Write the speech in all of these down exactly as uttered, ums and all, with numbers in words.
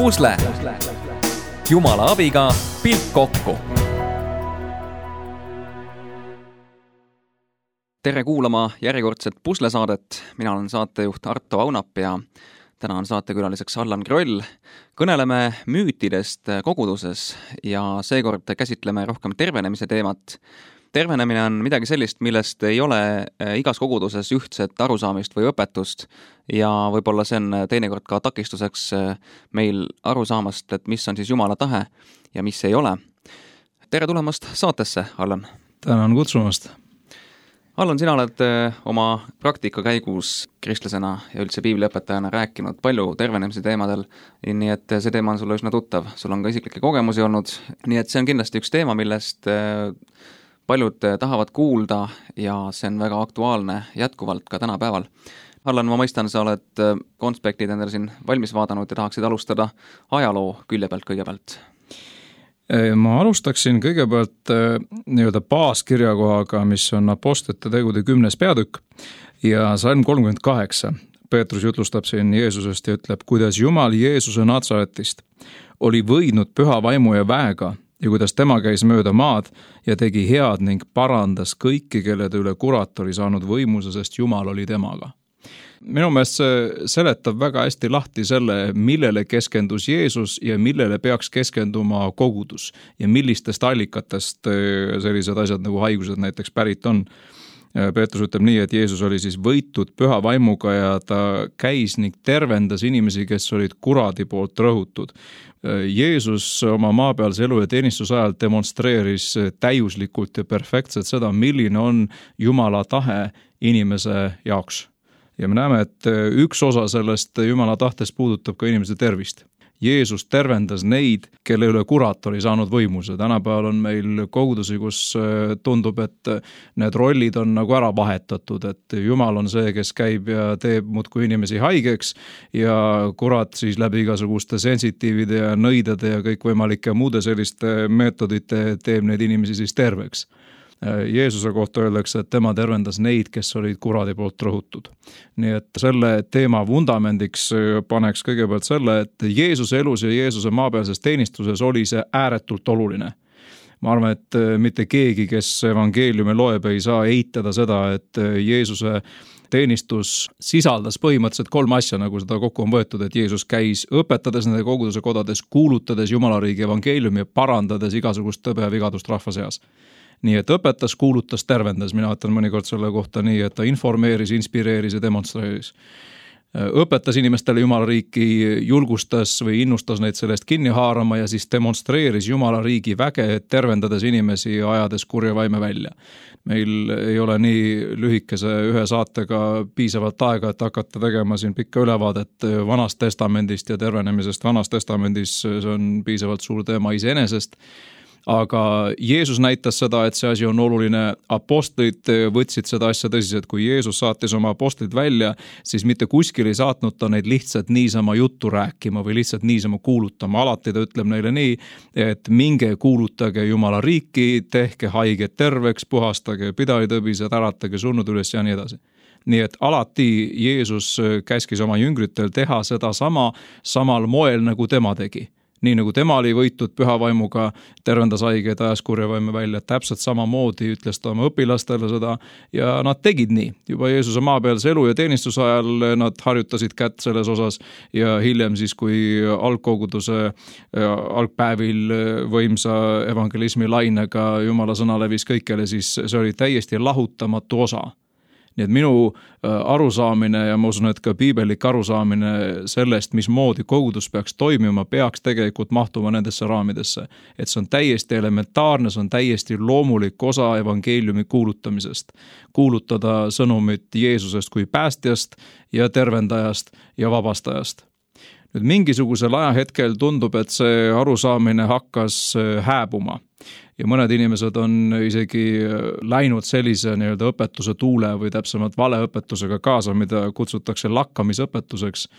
Pusle. Jumala abiga pilt kokku. Tere kuulama järjekordset Pusle-saadet. Mina olen saatejuht Arto Aunap ja täna on saatekülaliseks Allan Kroll. Kõneleme müütidest koguduses ja seekord käsitleme rohkem tervenemise teemat. Tervenemine on midagi sellist, millest ei ole igas koguduses ühtset arusaamist või õpetust ja võib-olla see on teinekord ka takistuseks meil arusaamast, et mis on siis Jumala tahe ja mis ei ole. Tere tulemast saatesse, Allan. Tänan kutsumast. Allan, sina oled oma praktika käigus kristlasena ja üldse piibliõpetajana rääkinud palju tervenemise teemadel, nii et see teema on sulle üsna tuttav. Sul on ka isiklikke kogemusi olnud, nii et see on kindlasti üks teema, millest paljud tahavad kuulda ja see on väga aktuaalne jätkuvalt ka tänapäeval. Allan, ma mõistan, sa oled konspektid endale siin valmis vaadanud ja tahaksid alustada ajaloo külje pealt kõigepealt. Ma alustaksin kõigepealt nii-öelda baaskirjakohaga, mis on Apostlite tegude kümnes peatükk ja salm kolmkümmend kaheksa. Peetrus jutlustab siin Jeesusest ja ütleb, kuidas Jumal Jeesuse Natsaretist oli võidnud püha vaimu ja väega ja kuidas tema käis mööda maad ja tegi head ning parandas kõiki, kellede üle kurat oli saanud võimuse, sest Jumal oli temaga. Minu meelest see seletab väga hästi lahti selle, millele keskendus Jeesus ja millele peaks keskenduma kogudus ja millistest allikatest sellised asjad nagu haigused näiteks pärit on. Peetrus ütleb nii, et Jeesus oli siis võitud püha vaimuga ja ta käis ning tervendas inimesi, kes olid kuradi poolt rõhutud. Jeesus oma maapealse elu ja teenistuse ajal demonstreeris täiuslikult ja perfektselt seda, milline on Jumala tahe inimese jaoks. Ja me näeme, et üks osa sellest Jumala tahtest puudutab ka inimese tervist. Jeesus tervendas neid, kelle üle kurat oli saanud võimuse. Tänapäeval on meil kogudusi, kus tundub, et need rollid on nagu ära vahetatud, et Jumal on see, kes käib ja teeb muudkui inimesi haigeks ja kurat siis läbi igasuguste sensitiivide ja nõidade ja kõikvõimalike muude selliste meetodite teeb neid inimesi siis terveks. Jeesuse kohta öeldakse, et tema tervendas neid, kes olid kuradi poolt rõhutud. Nii et selle teema vundamendiks paneks kõigepealt selle, et Jeesuse elus ja Jeesuse maapealses teenistuses oli see ääretult oluline. Ma arvan, et mitte keegi, kes evangeeliumi loeb, ei saa eitada seda, et Jeesuse teenistus sisaldas põhimõtteliselt kolm asja, nagu seda kokku on võetud, et Jeesus käis õpetades nende koguduse kodades, kuulutades Jumala riigi evangeeliumi ja parandades igasugust tõbe ja vigadust rahva seas. Nii et õpetas, kuulutas, tervendas. Mina võtan mõnikord selle kohta nii, et ta informeeris, inspireeris ja demonstreeris. Õpetas inimestele Jumala riiki, julgustas või innustas neid sellest kinni haarama ja siis demonstreeris Jumala riigi väge, tervendades inimesi ja ajades kurja vaime välja. Meil ei ole nii lühikese ühe saatega piisavalt aega, et hakata tegema siin pikka ülevaadet Vanast testamendist ja tervenemisest Vanas testamendis. See on piisavalt suur teema iseenesest. Aga Jeesus näitas seda, et see asi on oluline. Apostlid võtsid seda asja tõsiselt. Kui Jeesus saatis oma apostlid välja, siis mitte kuskil ei saatnud ta neid lihtsalt niisama juttu rääkima või lihtsalt niisama kuulutama. Alati ta ütleb neile nii, et minge kuulutage Jumala riiki, tehke haiged terveks, puhastage pidalitõbised, äratage surnud üles ja nii edasi. Nii et alati Jeesus käskis oma jüngritel teha seda sama, samal moel, nagu tema tegi. Nii nagu tema oli võitud püha vaimuga, tervendas haigeid, ajas kurja vaime välja, täpselt samamoodi ütles ta oma õpilastele seda ja nad tegid nii. Juba Jeesuse maapealse elu ja teenistuse ajal nad harjutasid kätt selles osas ja hiljem siis, kui algkoguduse algpäevil võimsa evangelismi lainega Jumala sõna levis kõikjale, siis see oli täiesti lahutamatu osa. Nii et minu arusaamine ja ma usun, et ka piibelik arusaamine sellest, mismoodi kogudus peaks toimima, peaks tegelikult mahtuma nendesse raamidesse. Et see on täiesti elementaarne, see on täiesti loomulik osa evangeeliumi kuulutamisest. Kuulutada sõnumit Jeesusest kui päästjast ja tervendajast ja vabastajast. Nüüd mingisugusel ajahetkel tundub, et see arusaamine hakkas hääbuma. Ja mõned inimesed on isegi läinud sellise nii-öelda õpetuse tuule või täpsemalt valeõpetusega kaasa, mida kutsutakse lakkamisõpetuseks.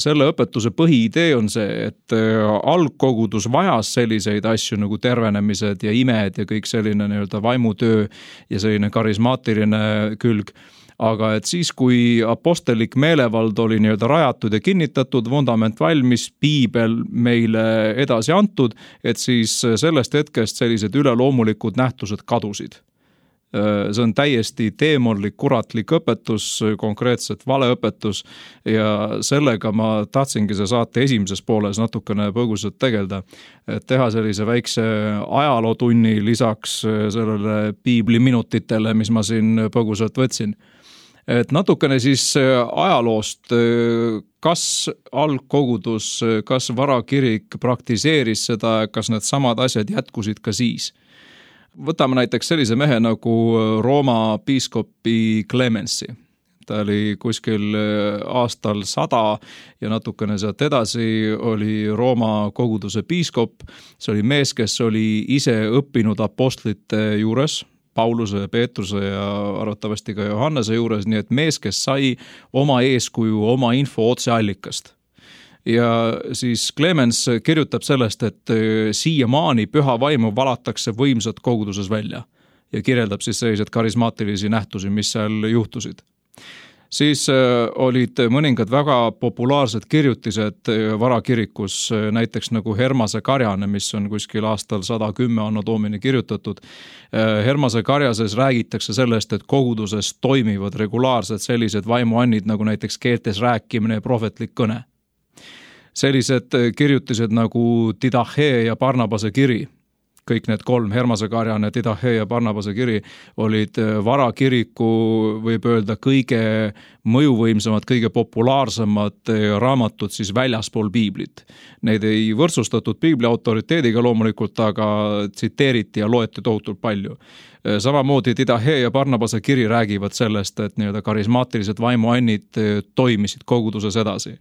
Selle õpetuse põhiidee on see, et algkogudus vajas selliseid asju nagu tervenemised ja imed ja kõik selline nii-öelda vaimutöö ja selline karismaatiline külg. aga et siis, kui apostellik meelevald oli nii-öelda rajatud ja kinnitatud, vundament valmis, piibel meile edasi antud, et siis sellest hetkest sellised üleloomulikud nähtused kadusid. See on täiesti teemonlik, kuratlik õpetus, konkreetselt valeõpetus ja sellega ma tahtsingi see saate esimeses pooles natukene põgusalt tegelda, et teha sellise väikse ajalootunni lisaks sellele piibliminutitele, mis ma siin põgusalt võtsin. Et natukene siis ajaloost, kas algkogudus, kas varakirik praktiseeris seda, kas need samad asjad jätkusid ka siis? Võtame näiteks sellise mehe nagu Rooma piiskopi Clemensi. Ta oli kuskil aastal sada ja natukene sealt edasi oli Rooma koguduse piiskop. See oli mees, kes oli ise õppinud apostlite juures, Pauluse, Peetruse ja arvatavasti ka Johannese juures, nii et mees, kes sai oma eeskuju, oma info otseallikast. Ja siis Clemens kirjutab sellest, et siiamaani püha vaimu valatakse võimsat koguduses välja ja kirjeldab siis sellised karismaatilisi nähtusi, mis seal juhtusid. Siis olid mõningad väga populaarsed kirjutised varakirikus, näiteks nagu Hermase karjane, mis on kuskil aastal sada kümme anno domini kirjutatud. Hermase karjases räägitakse sellest, et koguduses toimivad regulaarsed sellised vaimuannid nagu näiteks keeltes rääkimine ja prohvetlik kõne. Sellised kirjutised nagu Didache ja Barnabase kiri, kõik need kolm, Hermase karjane, Didache ja Barnabase kiri, olid varakiriku, võib öelda, kõige mõjuvõimsamad, kõige populaarsemad raamatud siis väljaspool piiblit. Neid ei võrdsustatud piibli autoriteediga loomulikult, aga tsiteeriti ja loeti tohutult palju. Samamoodi Didache ja Barnabase kiri räägivad sellest, et nii-öelda karismaatilised vaimuannid toimisid koguduses edasi.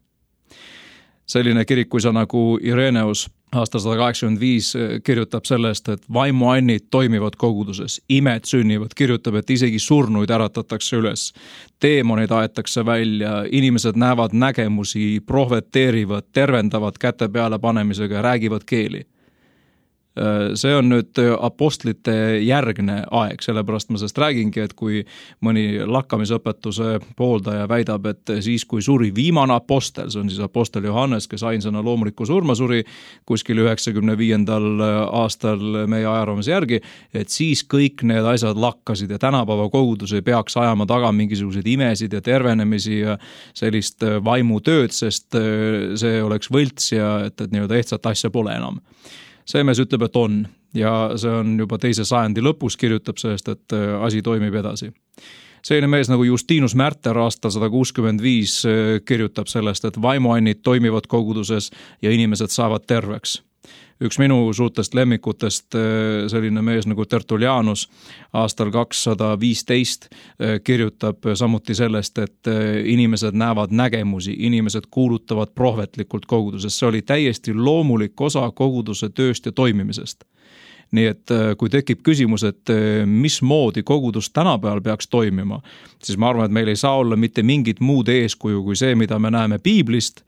Selline kirikuisa nagu Ireneus aastal sada kaheksakümmend viis kirjutab sellest, et vaimuannid toimivad koguduses, imed sünnivad, kirjutab, et isegi surnuid äratatakse üles, teemonid aetakse välja, inimesed näevad nägemusi, prohveteerivad, tervendavad käte peale panemisega ja räägivad keeli. See on nüüd apostlite järgne aeg, sellepärast ma sellest räägingi, et kui mõni lakkamisõpetuse pooldaja väidab, et siis kui suri viimane apostel, see on siis apostel Johannes, kes ainsana loomuliku surma suri kuskil üheksakümne viiendal aastal meie ajaraamise järgi, et siis kõik need asjad lakkasid ja tänapäeva kogudus ei peaks ajama taga mingisuguseid imesid ja tervenemisi ja sellist vaimutööd, sest see oleks võlts ja et, et nii-öelda ehtsat asja pole enam. See mees ütleb, et on ja see on juba teise sajandi lõpus, kirjutab sellest, et asi toimib edasi. Selline mees nagu Justinus Märter aastal sada kuuskümmend viis kirjutab sellest, et vaimuannid toimivad koguduses ja inimesed saavad terveks. Üks minu suurtest lemmikutest, selline mees nagu Tertullianus aastal kakssada viisteist kirjutab samuti sellest, et inimesed näevad nägemusi, inimesed kuulutavad prohvetlikult koguduses. See oli täiesti loomulik osa koguduse tööst ja toimimisest. Nii et kui tekib küsimus, et mismoodi kogudus tänapäeval peaks toimima, siis ma arvan, et meil ei saa olla mitte mingit muud eeskuju kui see, mida me näeme piiblist,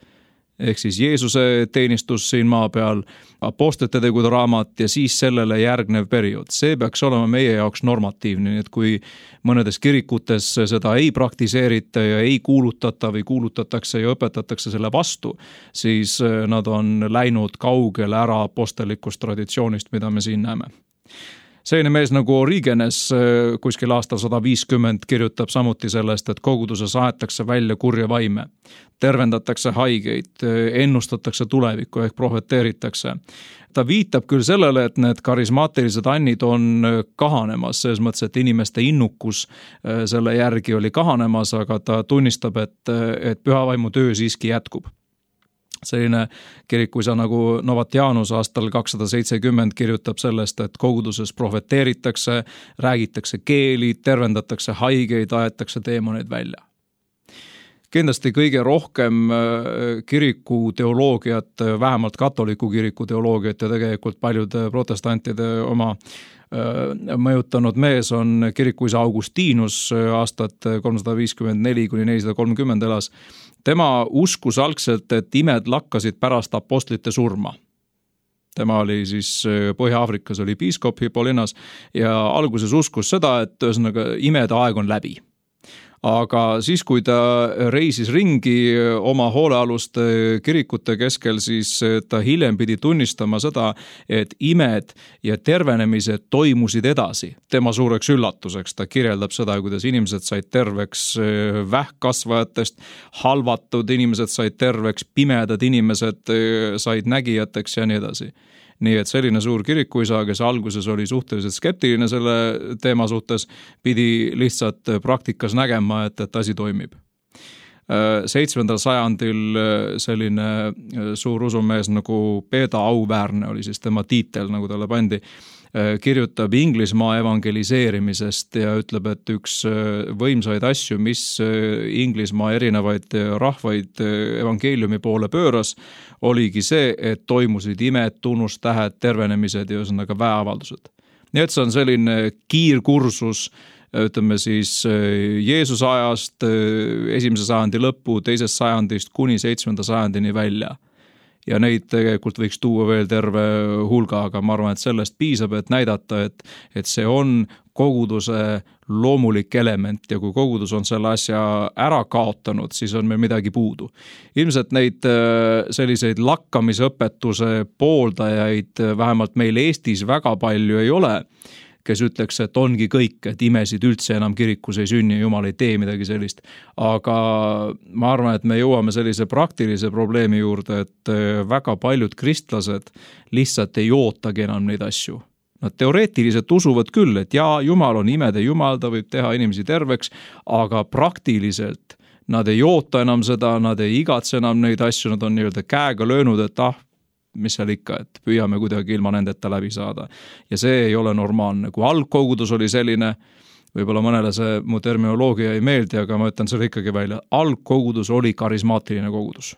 ehk siis Jeesuse teenistus siin maa peal, apostlite tegude raamat ja siis sellele järgnev periood. See peaks olema meie jaoks normatiivne, nii et kui mõnedes kirikutes seda ei praktiseerita ja ei kuulutata või kuulutatakse ja õpetatakse selle vastu, siis nad on läinud kaugele ära apostellikust traditsioonist, mida me siin näeme. Selline mees nagu Origenes kuskil aastal sada viiskümmend kirjutab samuti sellest, et koguduses aetakse välja kurja vaime, tervendatakse haigeid, ennustatakse tulevikku ehk prohveteeritakse. Ta viitab küll sellele, et need karismaatilised annid on kahanemas, selles mõttes, et inimeste innukus selle järgi oli kahanemas, aga ta tunnistab, et, et pühavaimu töö siiski jätkub. Selline kirikuisa nagu Novatianus aastal kakssada seitsekümmend kirjutab sellest, et koguduses prohveteeritakse, räägitakse keeli, tervendatakse haigeid, aetakse teemoneid välja. Kindlasti kõige rohkem kiriku teoloogiat, vähemalt katoliku kiriku teoloogiat ja tegelikult paljude protestantide oma mõjutanud mees on kirikuisa Augustinus aastat kolmsada viiskümmend neli kuni nelisada kolmkümmend elas. Tema uskus algselt, et imed lakkasid pärast apostlite surma. Tema oli siis Põhja-Aafrikas oli piiskop Hippolynas ja alguses uskus seda, et ühesõnaga imede aeg on läbi. aga siis, kui ta reisis ringi oma hoolealuste kirikute keskel, siis ta hiljem pidi tunnistama seda, et imed ja tervenemised toimusid edasi. Tema suureks üllatuseks ta kirjeldab seda, kuidas inimesed said terveks vähkkasvajatest, halvatud inimesed said terveks, pimedad inimesed said nägijateks ja nii edasi. Nii et selline suur kirikuisa, kes alguses oli suhteliselt skeptiline selle teema suhtes, pidi lihtsalt praktikas nägema, et, et asi toimib. seitsmendal sajandil selline suur usumees nagu Beda Auväärne oli siis tema tiitel, nagu talle pandi, kirjutab Inglismaa evangeliseerimisest ja ütleb, et üks võimsaid asju, mis Inglismaa erinevaid rahvaid evangeeliumi poole pööras, oligi see, et toimusid imed, tunnustähed, tervenemised ja ühesõnaga väeavaldused. Nii et see on selline kiirkursus, ütleme siis Jeesuse ajast, esimese sajandi lõppu, teisest sajandist kuni seitsmenda sajandini välja. Ja neid tegelikult võiks tuua veel terve hulga, aga ma arvan, et sellest piisab, et näidata, et, et see on koguduse loomulik element ja kui kogudus on selle asja ära kaotanud, siis on meil midagi puudu. Ilmselt neid selliseid lakkamisõpetuse pooldajaid vähemalt meil Eestis väga palju ei ole, kes ütleks, et ongi kõik, et imesid üldse enam kirikus ei sünni, Jumal ei tee midagi sellist. Aga ma arvan, et me jõuame sellise praktilise probleemi juurde, et väga paljud kristlased lihtsalt ei ootagi enam neid asju. Nad teoreetiliselt usuvad küll, et jaa, Jumal on imede Jumal, ta võib teha inimesi terveks, aga praktiliselt nad ei oota enam seda, nad ei igatse enam neid asju, nad on nii-öelda käega löönud, et ah, mis seal ikka, et püüame kuidagi ilma nendeta läbi saada. Ja see ei ole normaalne. Kui algkogudus oli selline, võib-olla mõnele see mu terminoloogia ei meeldi, aga ma ütlen selle ikkagi välja. Algkogudus oli karismaatiline kogudus.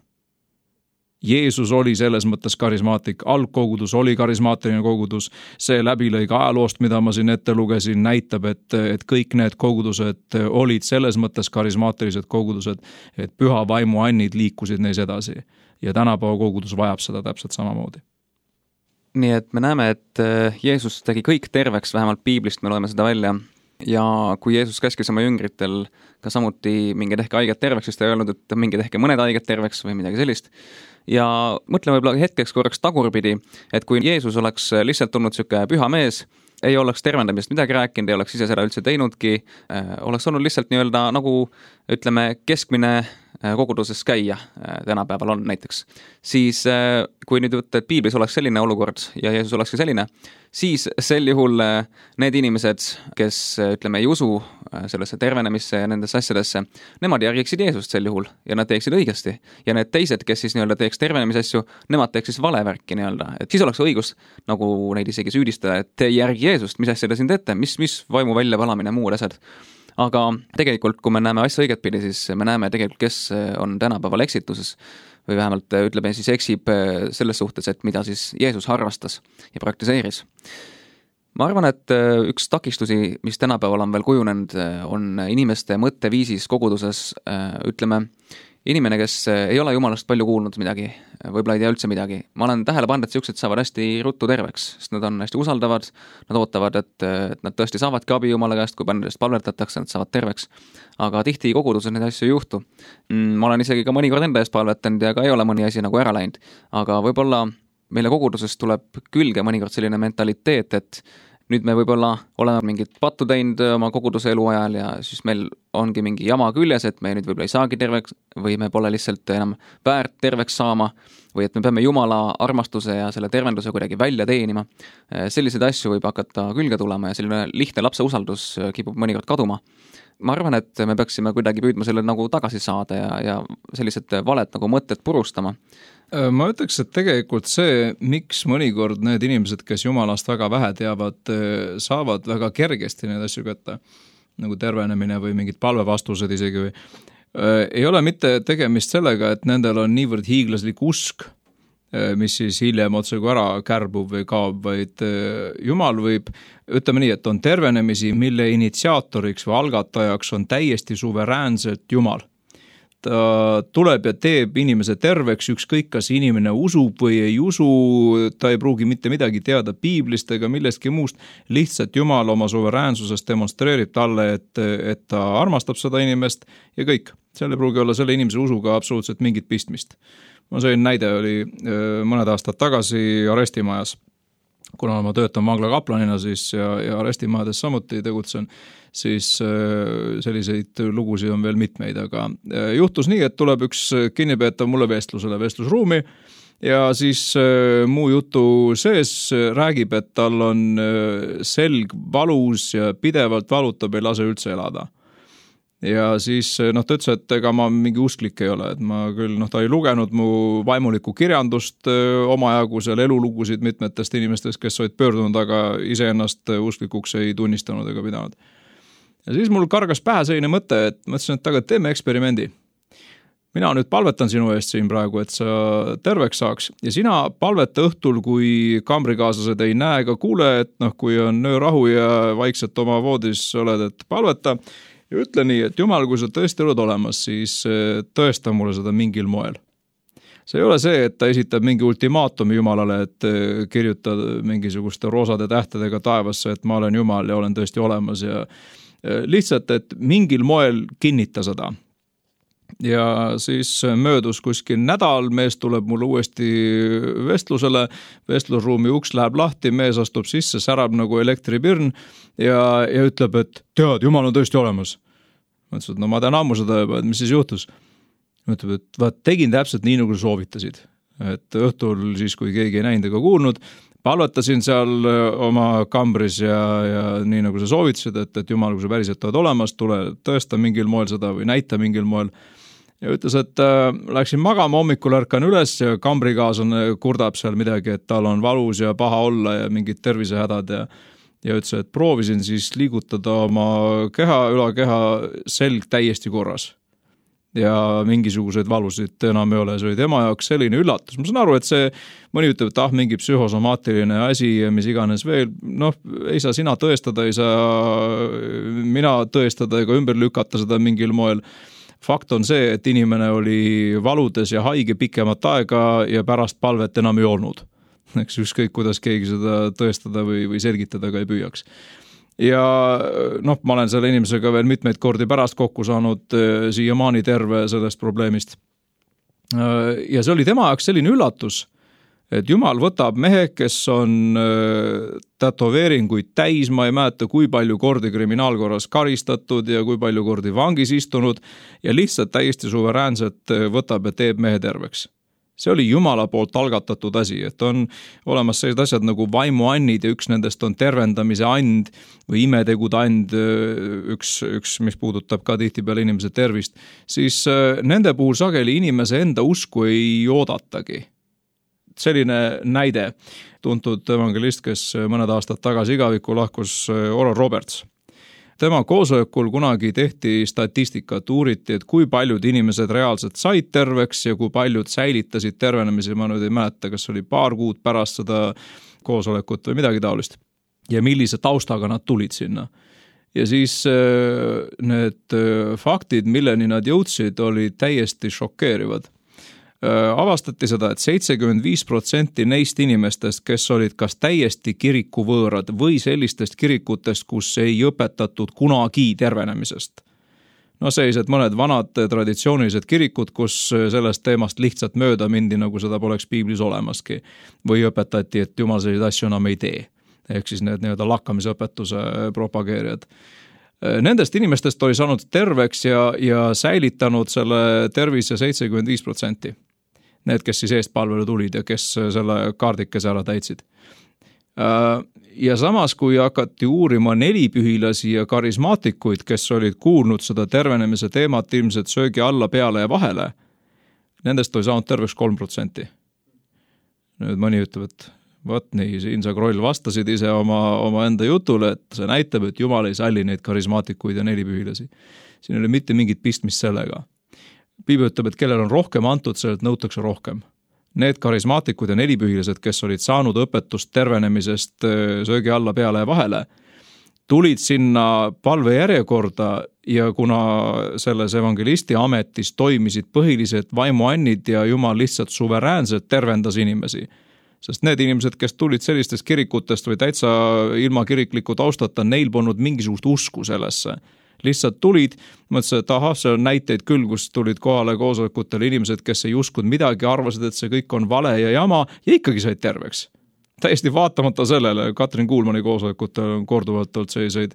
Jeesus oli selles mõttes karismaatik, algkogudus oli karismaatiline kogudus, see läbilõig ajaloost, mida ma siin ette lugesin, näitab, et, et kõik need kogudused olid selles mõttes karismaatilised kogudused, et püha vaimu annid liikusid neis edasi. Ja tänapäeva kogudus vajab seda täpselt samamoodi. Nii et me näeme, et Jeesus tegi kõik terveks, vähemalt piiblist me loeme seda välja. Ja kui Jeesus käskis oma jüngritel ka samuti mingi tehke haiget terveks, siis ta ei öelnud, et mingi tehke mõned haiget terveks või midagi sellist. Ja mõtleme võib-olla hetkeks korraks tagurpidi, et kui Jeesus oleks lihtsalt tulnud siuke püha mees, ei oleks tervendamist midagi rääkinud, ei oleks ise seda üldse teinudki, oleks olnud lihtsalt nii-öelda nagu ütleme keskmine koguduses käia tänapäeval on näiteks, siis kui nüüd võtta, et piiblis oleks selline olukord ja Jeesus olekski selline, siis sel juhul need inimesed, kes ütleme ei usu sellesse tervenemisse ja nendesse asjadesse, nemad järgiksid Jeesust sel juhul ja nad teeksid õigesti. Ja need teised, kes siis nii-öelda teeks tervenemise asju, nemad teeks siis valevärki nii-öelda. Et siis oleks õigus nagu neid isegi süüdistada, et te järgi Jeesust, mis asja te siin teete, mis, mis vaimu välja valamine muud asjad. Aga tegelikult, kui me näeme asja õiget pidi, siis me näeme tegelikult, kes on tänapäeval eksituses või vähemalt ütleme siis eksib selles suhtes, et mida siis Jeesus harrastas ja praktiseeris. Ma arvan, et üks takistusi, mis tänapäeval on veel kujunenud, on inimeste mõtteviisis koguduses, ütleme, inimene, kes ei ole Jumalast palju kuulnud midagi, võib-olla ei tea üldse midagi. Ma olen tähele pannud, et siuksed saavad hästi ruttu terveks, sest nad on hästi usaldavad, nad ootavad, et, et nad tõesti saavadki abi Jumala käest, kui palju nendest palvetatakse, nad saavad terveks. Aga tihti koguduses neid asju ei juhtu. Ma olen isegi ka mõnikord enda eest palvetanud ja ka ei ole mõni asi nagu ära läinud. Aga võib-olla meile koguduses tuleb külge mõnikord selline mentaliteet, et nüüd me võib-olla oleme mingit pattu teinud oma koguduse eluajal ja siis meil ongi mingi jama küljes, et me nüüd võib-olla ei saagi terveks või me pole lihtsalt enam väärt terveks saama või et me peame Jumala armastuse ja selle tervenduse kuidagi välja teenima. Selliseid asju võib hakata külge tulema ja selline lihtne lapse usaldus kipub mõnikord kaduma. Ma arvan, et me peaksime kuidagi püüdma selle nagu tagasi saada ja, ja sellised valed nagu mõtted purustama. Ma ütleks, et tegelikult see, miks mõnikord need inimesed, kes Jumalast väga vähe teavad, saavad väga kergesti need asju kätte, nagu tervenemine või mingid palvevastused isegi või, ei ole mitte tegemist sellega, et nendel on niivõrd hiiglaslik usk, mis siis hiljem otsagu ära kärbub või kaob, vaid Jumal võib, ütleme nii, et on tervenemisi, mille initsiaatoriks või algatajaks on täiesti suveräänselt Jumal. ta tuleb ja teeb inimese terveks, ükskõik kas inimene usub või ei usu, ta ei pruugi mitte midagi teada piiblist ega millestki muust, lihtsalt Jumal oma suveräänsusest demonstreerib talle, et, et ta armastab seda inimest ja kõik. Seal ei pruugi olla selle inimese usuga absoluutselt mingit pistmist. Ma sain näide oli mõned aastad tagasi arestimajas, kuna ma töötan vangla kaplanina siis ja, ja arestimajades samuti tegutsen, siis selliseid lugusid on veel mitmeid, aga juhtus nii, et tuleb üks kinnipeetav mulle vestlusele vestlusruumi ja siis muu jutu sees räägib, et tal on selg valus ja pidevalt valutab, ei lase üldse elada. Ja siis noh, ta ütles, et ega ma mingi usklik ei ole, et ma küll, noh, ta ei lugenud mu vaimulikku kirjandust omajagu seal elulugusid mitmetest inimestest, kes olid pöördunud, aga iseennast usklikuks ei tunnistanud ega pidanud. Ja siis mul kargas pähe selline mõte, et mõtlesin, et aga teeme eksperimendi. Mina nüüd palvetan sinu eest siin praegu, et sa terveks saaks ja sina palveta õhtul, kui kambrikaaslased ei näe ega kuule, et noh, kui on öörahu ja vaikselt oma voodis oled, et palveta ja ütle nii, et Jumal, kui sa tõesti oled olemas, siis tõesta mulle seda mingil moel. See ei ole see, et ta esitab mingi ultimaatumi Jumalale, et kirjuta mingisuguste roosade tähtedega taevasse, et ma olen Jumal ja olen tõesti olemas ja lihtsalt, et mingil moel kinnita seda. Ja siis möödus kuskil nädal, mees tuleb mulle uuesti vestlusele, vestlusruumi uks läheb lahti, mees astub sisse, särab nagu elektripirn ja, ja ütleb, et tead, Jumal on tõesti olemas. Ma ütlesin, et no ma tean ammu seda juba, et mis siis juhtus. Ma ütleb, et vaat tegin täpselt nii, nagu soovitasid. Et õhtul siis, kui keegi ei näinud ega kuulnud, palvetasin seal oma kambris ja, ja nii nagu sa soovitasid, et, et Jumal, kui sa päriselt oled olemas, tule tõesta mingil moel seda või näita mingil moel. Ja ütles, et äh, läksin magama, hommikul ärkan üles ja kambrikaaslane kurdab seal midagi, et tal on valus ja paha olla ja mingid tervisehädad ja, ja ütles, et proovisin siis liigutada oma keha, ülakeha selg täiesti korras. Ja mingisuguseid valusid enam ei ole, see oli tema jaoks selline üllatus. Ma saan aru, et see mõni ütleb, et ah, mingi psühhosomaatiline asi ja mis iganes veel, noh, ei saa sina tõestada, ei saa mina tõestada ega ümber lükata seda mingil moel. Fakt on see, et inimene oli valudes ja haige pikemat aega ja pärast palvet enam ei olnud. Eks ükskõik, kuidas keegi seda tõestada või, või selgitada ka ei püüaks. Ja noh, ma olen selle inimesega veel mitmeid kordi pärast kokku saanud siiamaani terve sellest probleemist. Ja see oli tema jaoks selline üllatus, et Jumal võtab mehe, kes on tätoveeringuid täis, ma ei mäleta, kui palju kordi kriminaalkorras karistatud ja kui palju kordi vangis istunud ja lihtsalt täiesti suveräänselt võtab ja teeb mehe terveks. See oli Jumala poolt algatatud asi, et on olemas sellised asjad nagu vaimuannid ja üks nendest on tervendamise and või imetegude and, üks, üks, mis puudutab ka tihtipeale inimese tervist, siis nende puhul sageli inimese enda usku ei oodatagi. Selline näide, tuntud evangelist, kes mõned aastad tagasi igavikku lahkus, Oral Roberts. Tema koosolekul kunagi tehti statistikat, uuriti, et kui paljud inimesed reaalselt said terveks ja kui paljud säilitasid tervenemise, ma nüüd ei mäleta, kas oli paar kuud pärast seda koosolekut või midagi taolist. Ja millise taustaga nad tulid sinna. Ja siis need faktid, milleni nad jõudsid, oli täiesti šokeerivad. Avastati seda, et seitsekümmend viis protsenti neist inimestest, kes olid kas täiesti kirikuvõõrad või sellistest kirikutest, kus ei õpetatud kunagi tervenemisest. No sellised mõned vanad traditsioonilised kirikud, kus sellest teemast lihtsalt mööda mindi, nagu seda poleks piiblis olemaski. Või õpetati, et Jumal selliseid asju enam ei tee. Ehk siis need nii-öelda lakkamisõpetuse propageerijad. Nendest inimestest oli saanud terveks ja, ja säilitanud selle tervise seitsekümmend viis protsenti. Need, kes siis eest palvele tulid ja kes selle kaardikese ära täitsid. Ja samas, kui hakati uurima nelipühilasi ja karismaatikuid, kes olid kuulnud seda tervenemise teemat ilmselt söögi alla, peale ja vahele, nendest oli saanud terveks kolm protsenti. Nüüd mõni ütleb, et võt nii, siin sa Kroll vastasid ise oma, oma enda jutule, et see näitab, et Jumal ei salli neid karismaatikuid ja nelipühilasi. Siin ei ole mitte mingit pistmist sellega. Piibel ütleb, et kellel on rohkem antud, sellelt nõutakse rohkem. Need karismaatikud ja nelipühilised, kes olid saanud õpetust tervenemisest söögi alla, peale ja vahele, tulid sinna palve järjekorda ja kuna selles evangelisti ametis toimisid põhilised vaimuannid ja Jumal lihtsalt suveräänselt tervendas inimesi, sest need inimesed, kes tulid sellistest kirikutest või täitsa ilma kirikliku taustata, neil polnud mingisugust usku sellesse. Lihtsalt tulid, mõtlesin, et ahah, see on näiteid küll, kus tulid kohale koosolekutele inimesed, kes ei uskunud midagi, arvasid, et see kõik on vale ja jama ja ikkagi said terveks. Täiesti vaatamata sellele, Katrin Kuulmani koosolekutel on korduvalt olnud selliseid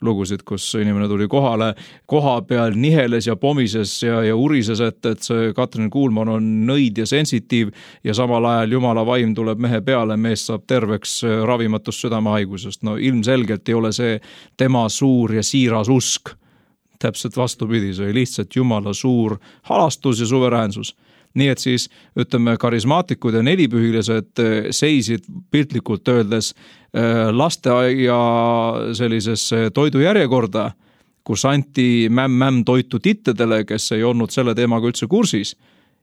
lugusid, kus inimene tuli kohale, koha peal niheles ja pomises ja, ja urises, et, et see Katrin Kuulman on nõid ja sensitiiv ja samal ajal Jumala vaim tuleb mehe peale, mees saab terveks ravimatust südamehaigusest. No ilmselgelt ei ole see tema suur ja siiras usk. Täpselt vastupidi, see oli lihtsalt Jumala suur halastus ja suveräänsus. Nii et siis, ütleme, karismaatikud ja nelipühilised seisid piltlikult öeldes lasteaia sellises toidujärjekorda, kus anti mämm-mämm toitu tittedele, kes ei olnud selle teemaga üldse kursis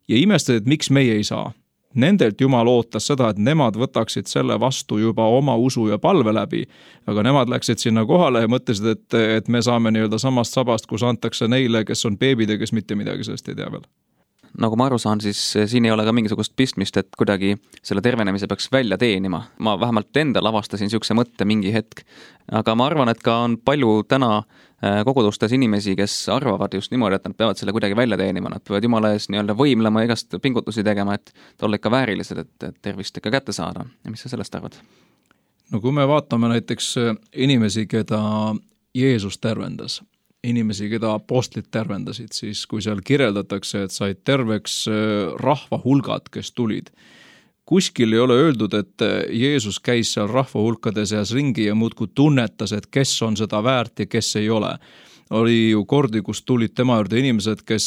ja imestad, et miks meie ei saa. Nendelt Jumal ootas seda, et nemad võtaksid selle vastu juba oma usu ja palve läbi, aga nemad läksid sinna kohale ja mõtlesid, et, et me saame nii-öelda samast sabast, kus antakse neile, kes on beebid ja kes mitte midagi sellest ei tea veel. Nagu ma aru saan, siis siin ei ole ka mingisugust pistmist, et kuidagi selle tervenemise peaks välja teenima. Ma vähemalt endal avastasin niisuguse mõtte mingi hetk. Aga ma arvan, et ka on palju täna kogudustes inimesi, kes arvavad just niimoodi, et nad peavad selle kuidagi välja teenima. Nad peavad Jumala ees nii-öelda võimlema ja igast pingutusi tegema, et olla ikka väärilised, et tervist ikka kätte saada. Ja mis sa sellest arvad? No kui me vaatame näiteks inimesi, keda Jeesus tervendas, inimesi, keda apostlid tervendasid, siis kui seal kirjeldatakse, et said terveks rahva hulgad, kes tulid. Kuskil ei ole öeldud, et Jeesus käis seal rahva hulkade seas ringi ja muudkui tunnetas, et kes on seda väärt ja kes ei ole. Oli ju kordi, kus tulid tema juurde inimesed, kes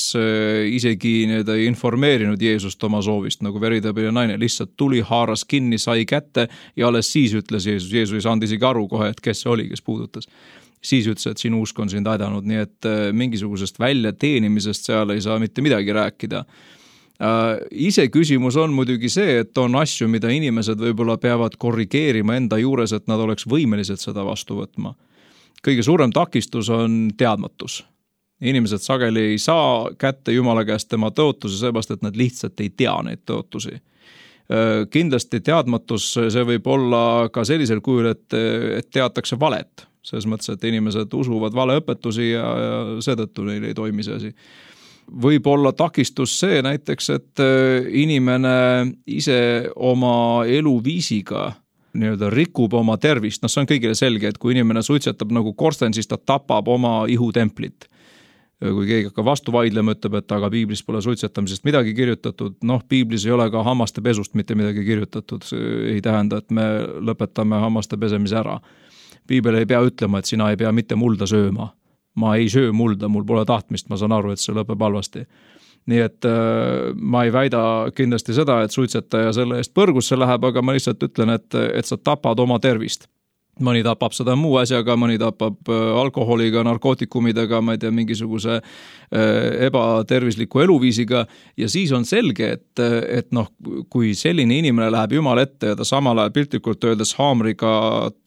isegi ei informeerinud Jeesust oma soovist, nagu veritõbine naine, lihtsalt tuli, haaras kinni, sai kätte ja alles siis ütles Jeesus. Jeesus ei saanud isegi aru kohe, et kes see oli, kes puudutas. Siis ütles, et sinu usk on sind aidanud, nii et mingisugusest välja teenimisest seal ei saa mitte midagi rääkida. Ise küsimus on muidugi see, et on asju, mida inimesed võib-olla peavad korrigeerima enda juures, et nad oleks võimelised seda vastu võtma. Kõige suurem takistus on teadmatus. Inimesed sageli ei saa kätte Jumala käest tema tõotusi, seepärast, et nad lihtsalt ei tea neid tõotusi. Kindlasti teadmatus, see võib olla ka sellisel kujul, et, et teatakse valet. Selles mõttes, et inimesed usuvad valeõpetusi ja, ja seetõttu neil ei toimi see asi. Võib olla takistus see näiteks, et inimene ise oma eluviisiga nii-öelda rikub oma tervist. No see on kõigile selge, et kui inimene suitsetab nagu korsten, siis ta tapab oma ihutemplit. Kui keegi hakkab vastu vaidlema, ütleb, et aga piiblis pole suitsetamisest midagi kirjutatud. Noh, piiblis ei ole ka hammaste pesust mitte midagi kirjutatud. See ei tähenda, et me lõpetame hammaste pesemise ära. Piibel ei pea ütlema, et sina ei pea mitte mulda sööma. Ma ei söö mulda, mul pole tahtmist, ma saan aru, et see lõpeb halvasti. Nii et äh, ma ei väida kindlasti seda, et suitsetaja selle eest põrgusse läheb, aga ma lihtsalt ütlen, et, et sa tapad oma tervist. Mõni tapab seda muu asjaga, mõni tapab alkoholiga, narkootikumidega, ma ei tea, mingisuguse ebatervisliku eluviisiga ja siis on selge, et, et noh, kui selline inimene läheb Jumala ette ja ta samal ajal piltlikult öeldes haamriga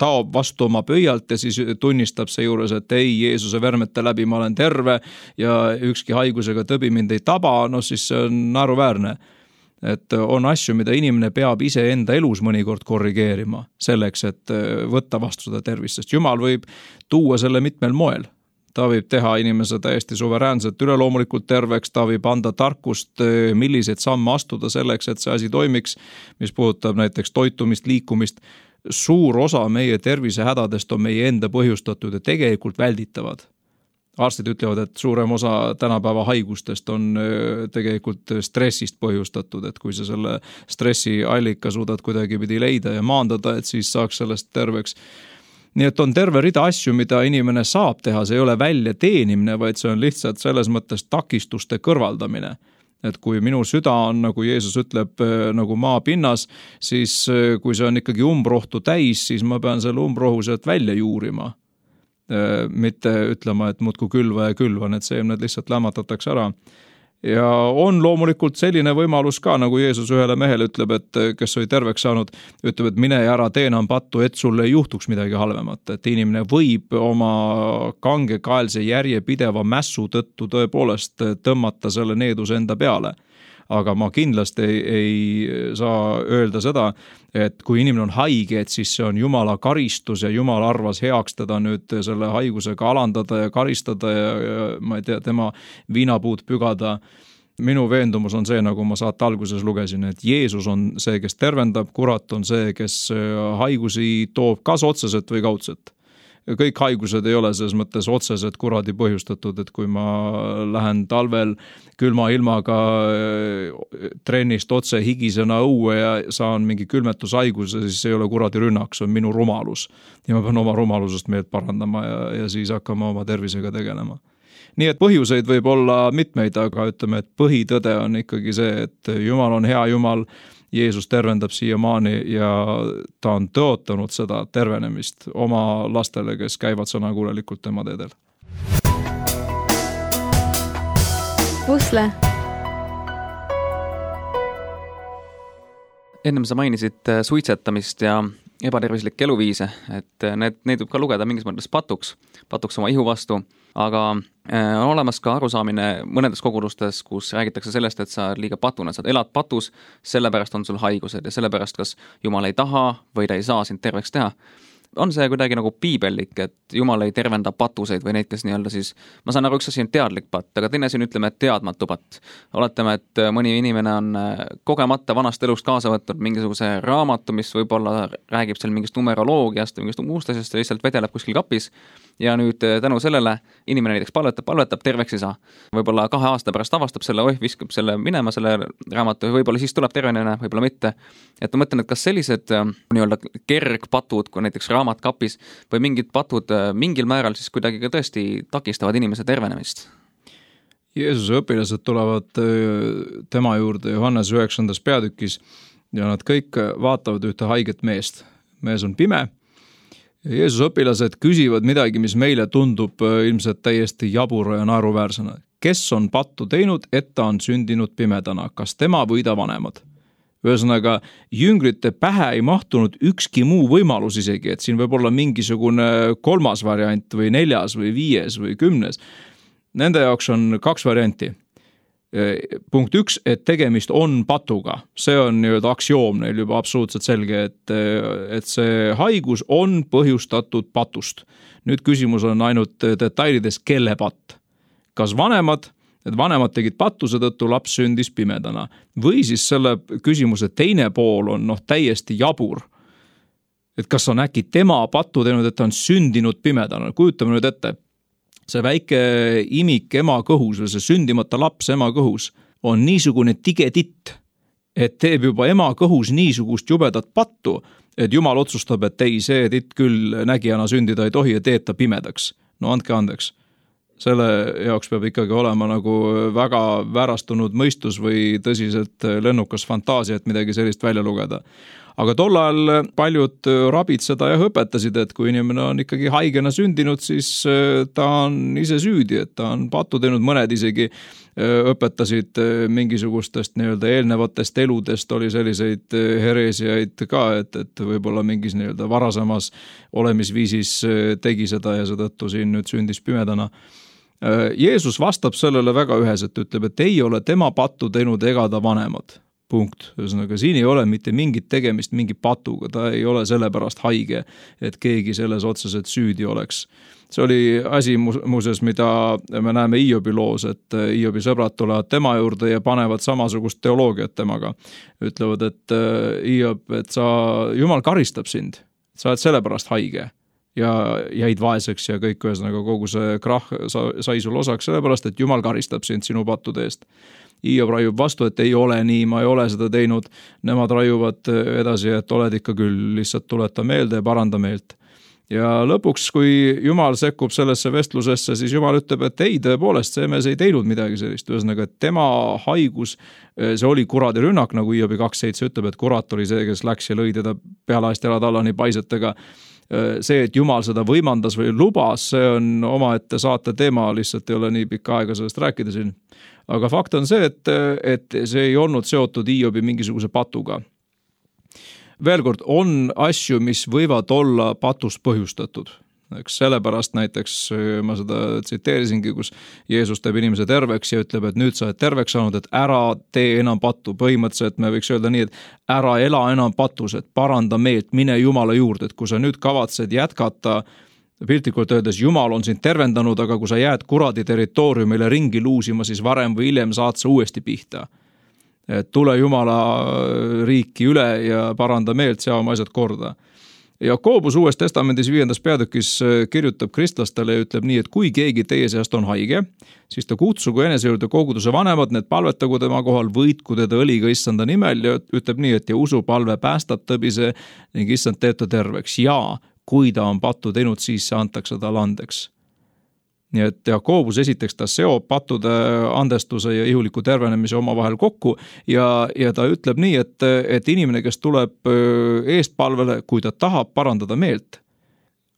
taob vastu oma pöialt ja siis tunnistab see juures, et ei, Jeesuse vermete läbi ma olen terve ja ükski haigusega tõbi mind ei taba, no siis see on naeruväärne. Et on asju, mida inimene peab ise enda elus mõnikord korrigeerima selleks, et võtta vastu seda tervist, sest Jumal võib tuua selle mitmel moel. Ta võib teha inimese täiesti suveräänselt üleloomulikult terveks, ta võib anda tarkust, milliseid samme astuda selleks, et see asi toimiks, mis puudutab näiteks toitumist, liikumist. Suur osa meie tervisehädadest on meie enda põhjustatud ja tegelikult välditavad. Arstid ütlevad, et suurem osa tänapäeva haigustest on tegelikult stressist põhjustatud, et kui sa selle stressi allika suudad kuidagi pidi leida ja maandada, et siis saaks sellest terveks. Nii et on terve rida asju, mida inimene saab teha, see ei ole välja teenimine, vaid see on lihtsalt selles mõttes takistuste kõrvaldamine. Et kui minu süda on, nagu Jeesus ütleb, nagu maa pinnas, siis kui see on ikkagi umbrohtu täis, siis ma pean selle umbrohu sealt välja juurima. Mitte ütlema, et muudku külva ja külva, need seemned lihtsalt lämmatatakse ära. Ja on loomulikult selline võimalus ka, nagu Jeesus ühele mehele ütleb, et kes oli terveks saanud, ütleb, et mine ja ära tee enam pattu, et sulle ei juhtuks midagi halvemat. Et inimene võib oma kangekaelse järjepideva mässu tõttu tõepoolest tõmmata selle needuse enda peale. Aga ma kindlasti ei, ei saa öelda seda, et kui inimene on haige, et siis see on Jumala karistus ja Jumal arvas heaks teda nüüd selle haigusega alandada ja karistada ja, ja ma ei tea, tema viinapuud pügada. Minu veendumus on see, nagu ma saate alguses lugesin, et Jeesus on see, kes tervendab, kurat on see, kes haigusi toob kas otseselt või kaudselt. Kõik haigused ei ole selles mõttes otseselt kuradi põhjustatud, et kui ma lähen talvel külma ilmaga trennist otse higisena õue ja saan mingi külmetushaiguse, siis see ei ole kuradi rünnak, see on minu rumalus. Ja ma pean oma rumalusest meelt parandama ja, ja siis hakkama oma tervisega tegelema. Nii et põhjuseid võib olla mitmeid, aga ütleme, et põhitõde on ikkagi see, et Jumal on hea Jumal, Jeesus tervendab siiamaani ja ta on tõotanud seda tervenemist oma lastele, kes käivad sõnakuulelikult tema teedel. Pusle. Ennem sa mainisid suitsetamist ja ebatervislikke eluviise, et need, neid võib ka lugeda mingis mõttes patuks, patuks oma ihu vastu, aga on olemas ka arusaamine mõnedes kogudustes, kus räägitakse sellest, et sa liiga patuna, sa elad patus, sellepärast on sul haigused ja sellepärast kas Jumal ei taha või ta ei saa sind terveks teha. On see kuidagi nagu piibellik, et Jumal ei tervenda patuseid või neid, kes nii-öelda siis, ma saan aru, üks asi on teadlik patt, aga teine asi on, ütleme, et teadmatu patt. Oletame, et mõni inimene on kogemata vanast elust kaasa võtnud mingisuguse raamatu, mis võib-olla räägib seal mingist numeroloogiast või mingist muust asjast ja lihtsalt vedeleb kuskil kapis. Ja nüüd tänu sellele inimene näiteks palvetab, palvetab, terveks ei saa. Võib-olla kahe aasta pärast avastab selle, oih, viskab selle minema, selle raamatu, võib-olla siis tuleb tervenemine, võib-olla mitte. Et ma mõtlen, et kas sellised nii-öelda kergpatud, kui näiteks raamat kapis või mingid patud mingil määral siis kuidagi ka tõesti takistavad inimese tervenemist? Jeesuse õpilased tulevad tema juurde Johannes üheksandas peatükis ja nad kõik vaatavad ühte haiget meest. Mees on pime. Jeesuse õpilased küsivad midagi, mis meile tundub ilmselt täiesti jabura ja naeruväärsena. Kes on pattu teinud, et ta on sündinud pimedana? Kas tema või ta vanemad? Ühesõnaga, jüngrite pähe ei mahtunud ükski muu võimalus isegi, et siin võib olla mingisugune kolmas variant või neljas või viies või kümnes. Nende jaoks on kaks varianti. Punkt üks, et tegemist on patuga. See on nii-öelda aktsioom neil juba absoluutselt selge, et, et see haigus on põhjustatud patust. Nüüd küsimus on ainult detailides, kelle patt. Kas vanemad, et vanemad tegid patuse tõttu, laps sündis pimedana. Või siis selle küsimuse teine pool on noh, täiesti jabur. Et kas on äkki tema pattu teinud, et ta on sündinud pimedana. Kujutame nüüd ette. See väike imik ema kõhus või see sündimata laps ema kõhus on niisugune tigetitt, et teeb juba ema kõhus niisugust jubedat pattu, et Jumal otsustab, et ei, see titt küll nägijana sündida ei tohi ja teeb ta pimedaks. No andke andeks. Selle jaoks peab ikkagi olema nagu väga väärastunud mõistus või tõsiselt lennukas fantaasia, et midagi sellist välja lugeda. Aga tol ajal paljud rabid seda ja õpetasid, et kui inimene on ikkagi haigena sündinud, siis ta on ise süüdi, et ta on pattu teinud. Mõned isegi õpetasid mingisugustest nii-öelda eelnevatest eludest, oli selliseid hereesiaid ka, et, et võib-olla mingis nii-öelda varasemas olemisviisis tegi seda ja seetõttu siin nüüd sündis pimedana. Jeesus vastab sellele väga üheselt, ütleb, et ei ole tema pattu teinud ega ta vanemad. Punkt. Ühesõnaga, siin ei ole mitte mingit tegemist mingi patuga, ta ei ole sellepärast haige, et keegi selles otseselt süüdi oleks. See oli asi muuseas, mida me näeme Iobi loos, et Iobi sõbrad tulevad tema juurde ja panevad samasugust teoloogiat temaga. Ütlevad, et Iob, et sa, Jumal karistab sind, sa oled sellepärast haige ja jäid vaeseks ja kõik ühesõnaga kogu see krah sai sul osaks sellepärast, et Jumal karistab sind sinu pattude eest. Iob raiub vastu, et ei ole nii, ma ei ole seda teinud. Nemad raiuvad edasi, et oled ikka küll, lihtsalt tuleta meelde ja paranda meelt. Ja lõpuks, kui Jumal sekkub sellesse vestlusesse, siis Jumal ütleb, et ei, tõepoolest, see mees ei teinud midagi sellist. Ühesõnaga, et tema haigus, see oli kuradi rünnak, nagu Iobi kaks seitse ütleb, et kurat oli see, kes läks ja lõi teda pealaast jalad alla nii paisetega. see, et Jumal seda võimandas või lubas, see on omaette saate teema, lihtsalt ei ole nii pikka aega sellest rääkida siin. Aga fakt on see, et, et see ei olnud seotud Hiobi mingisuguse patuga. Veel kord, on asju, mis võivad olla patust põhjustatud. Eks sellepärast näiteks ma seda tsiteerisingi, kus Jeesus teeb inimese terveks ja ütleb, et nüüd sa oled terveks saanud, et ära tee enam pattu. Põhimõtteliselt me võiks öelda nii, et ära ela enam patus, et paranda meelt, mine Jumala juurde, et kui sa nüüd kavatsed jätkata, piltlikult öeldes Jumal on sind tervendanud, aga kui sa jääd kuradi territooriumile ringi luusima, siis varem või hiljem saad sa uuesti pihta. Et tule Jumala riiki üle ja paranda meelt, sea oma asjad korda. Jakobus Uues Testamendis viiendas peatükis kirjutab kristlastele ja ütleb nii, et kui keegi teie seast on haige, siis ta kutsugu enese juurde koguduse vanemad, need palvetagu tema kohal, võitku teda õliga issanda nimel ja ütleb nii, et ja usupalve päästab tõbise ning issand teeb ta terveks. Ja kui ta on pattu teinud, siis antakse talle andeks. Nii et Jakobus esiteks ta seob pattude andestuse ja ihuliku tervenemise omavahel kokku ja, ja ta ütleb nii, et, et inimene, kes tuleb eestpalvele, kui ta tahab parandada meelt,